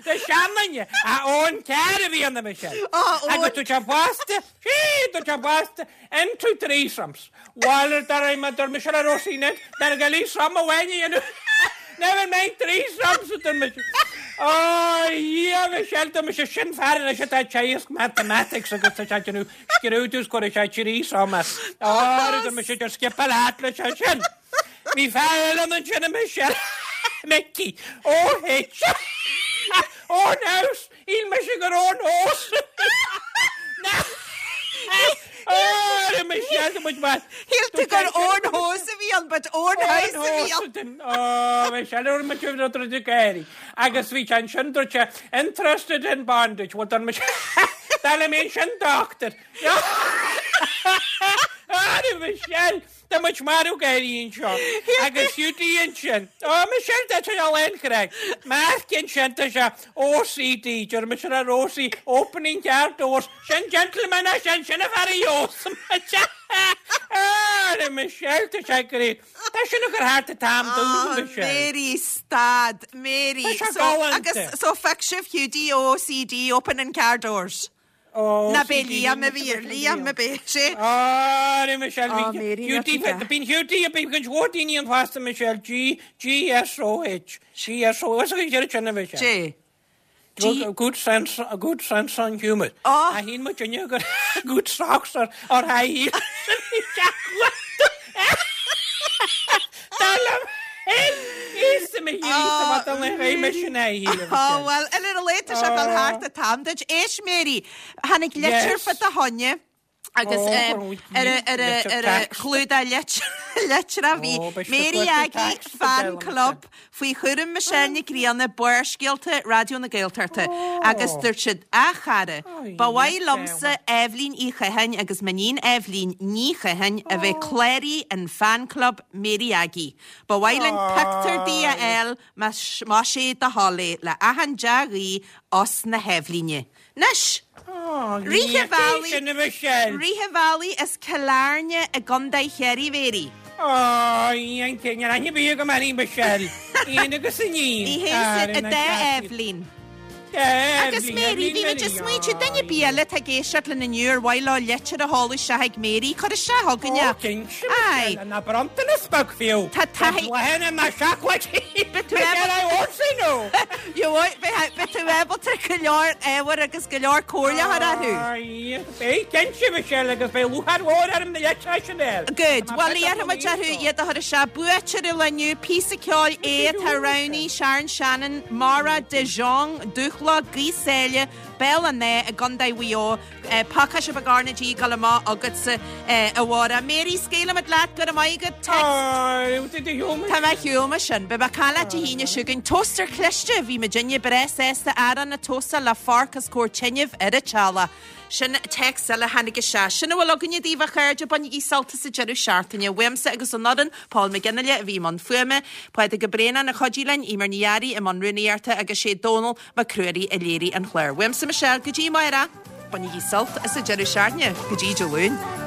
le seanduine a Eoin Carr a bhí ann a Michelle. Agus dúirt sé fosta, sí, dúirt sé fosta, into threesomes. Bhuel, dar mé dúirt mise le Róisín dar go threesome amháin a dhéanamh. Never mind threesomes, a dúirt mise. Ó, a Dhia, Michelle, dúirt mise sin fear anois atá ag teagasc mathematics agus tá sé ag déanamh Scrúdú is cuirfidh sé threesome as. Á, tá mise ag scipeáil thart leis ansin. Bhí fear eile ann ansin a Michelle. Mickey. Ó H. Own house. Shíl mise gur own house. Na. Á, a Michelle, tá muid maith. Shíl tú gur own house a bhí ann, but own house a bhí ann. Ó, Michelle, ar muid rud rud ag éirí. Agus bhí sé ansin, dúirt sé, interested in bondage. Bhuel, dúirt mise, dar le mé ansin, doctor. Á, Michelle! Tá muid marbh gáirí anseo. Agus Hiúdaí ansin. Ó, Michelle, tá sé lán craic. Mark ansin, tá sé OCD, deir mise ar OC, opening car doors. Sin gentleman é sin, sin an fear a gheobhas muid. Ah, Michelle, tá sé great. Tá sin ag cur thart an t-am dúinn, Michelle. Mary, stad. Mary. Tá sé So, galánta. agus, so phioc sibh Hiúdaí OCD, opening car doors. Ná b'é Liam a bhí ar Liam a b'é sé. Á, Michelle, Á, Mary, Hiúdaí, bíonn Hiúdaí, bíonn cuid mhór daoine ann fosta, Michelle, G, G S O H, G S O, is an chéad sin a Michelle. G. G. Good sense, good sense on humour. Á. A shín muid inniu gur good socks or, or high heels. Dar liom féin, íosa mo shíoraí, tá mé ag sin high heel. Á, bhuel, ar a laghad tá sé ag dul thart an t-am duit. Éist, Mary, tháinig litir Yes. fá do choinne agus Ó, eh, go ar a- ar a- litir ar a text. chlúdach lit- litreach bhí Ó, beidh siad Mary ag cuartú Aggie text fan go deireadh club faoi chúram Michelle Nic Grianna, Barrscéalta, Raidió na Gaeltachta, agus dúirt siad, A chara, ba mhaith liomsa, Eibhlín Uí Chatháin agus m'iníon Eibhlín Ní Chatháin a bheith cláraithe in Fan Club Mary Aggie. Ba mhaith linn pictiúr di a fháil más é do thoil é, le achan dea-ghuí os na hEibhlíne. Anois! Rith an bhealaigh, Sin a Michelle. rith an bhealaigh as Cill Airne i gContae Chiarraí Mary. Ó, an cinneadh aithne bíodh go mairí Michelle. Ian agus iníon. Ní hé sin a dá Eibhlín. Agus Mary, bhí muid ag smaointiú, duine ar bith eile atá ag éisteacht linn inniu ar mhaith leo litir a sheoladh isteach ag Mary, cuir isteach chugainn é. Ó, cinnte, Aye. Michelle, ná bronntanas beag fiú. Tá taithí. Bláthanna ná seacláidí. Beidh tú Michelle, I won't say no. Beidh tú ábalta go leor ábhair agus go leor comhairle a chur orthu. Aye, beidh cinnte, Michelle, agus beidh lúcháir mhór orm na litreacha sin a fháil. Good. Bhuel, iarrfaidh muid orthu iad a chur isteach. Buaiteoir an lae inniu, píosa ceoil é atá roghnaithe, Sharon Shannon, Maura de Jong, Dúshla, Gaoth Sáile, Béal an Átha i gContae Mhaigh Eo. Pacáiste beag RnaG ag dul amach agatsa, a Mháire. Mary, scaoilfimid leat, go raibh maith agat. Text. Tá mé shiúl sin. Beidh mé ag caint leat Dé hAoine seo chugainn. Toaster cliste, bhí muidinne breá sásta arán a tóstáil le forc os comhair tinibh ar an teallach. Sin téacs eile a tháinig isteach. Sin a bhfuil againne daoibh a chairde, bainigí sult as an deireadh seachtaine. Uaimse agus ón fhoireann, Paul McGinley a bhí i mbun fuaime, Pádraig Ó Braonáin a chuidigh linn, Eimear Ní Fhearraigh i mbun rúnaíochta agus sé Dónal Mac Ruairí a léirigh an clár. Uaimse Michelle, go dtí amárach, bainigí sult as an deireadh seachtaine. Go dtí Dé Luain.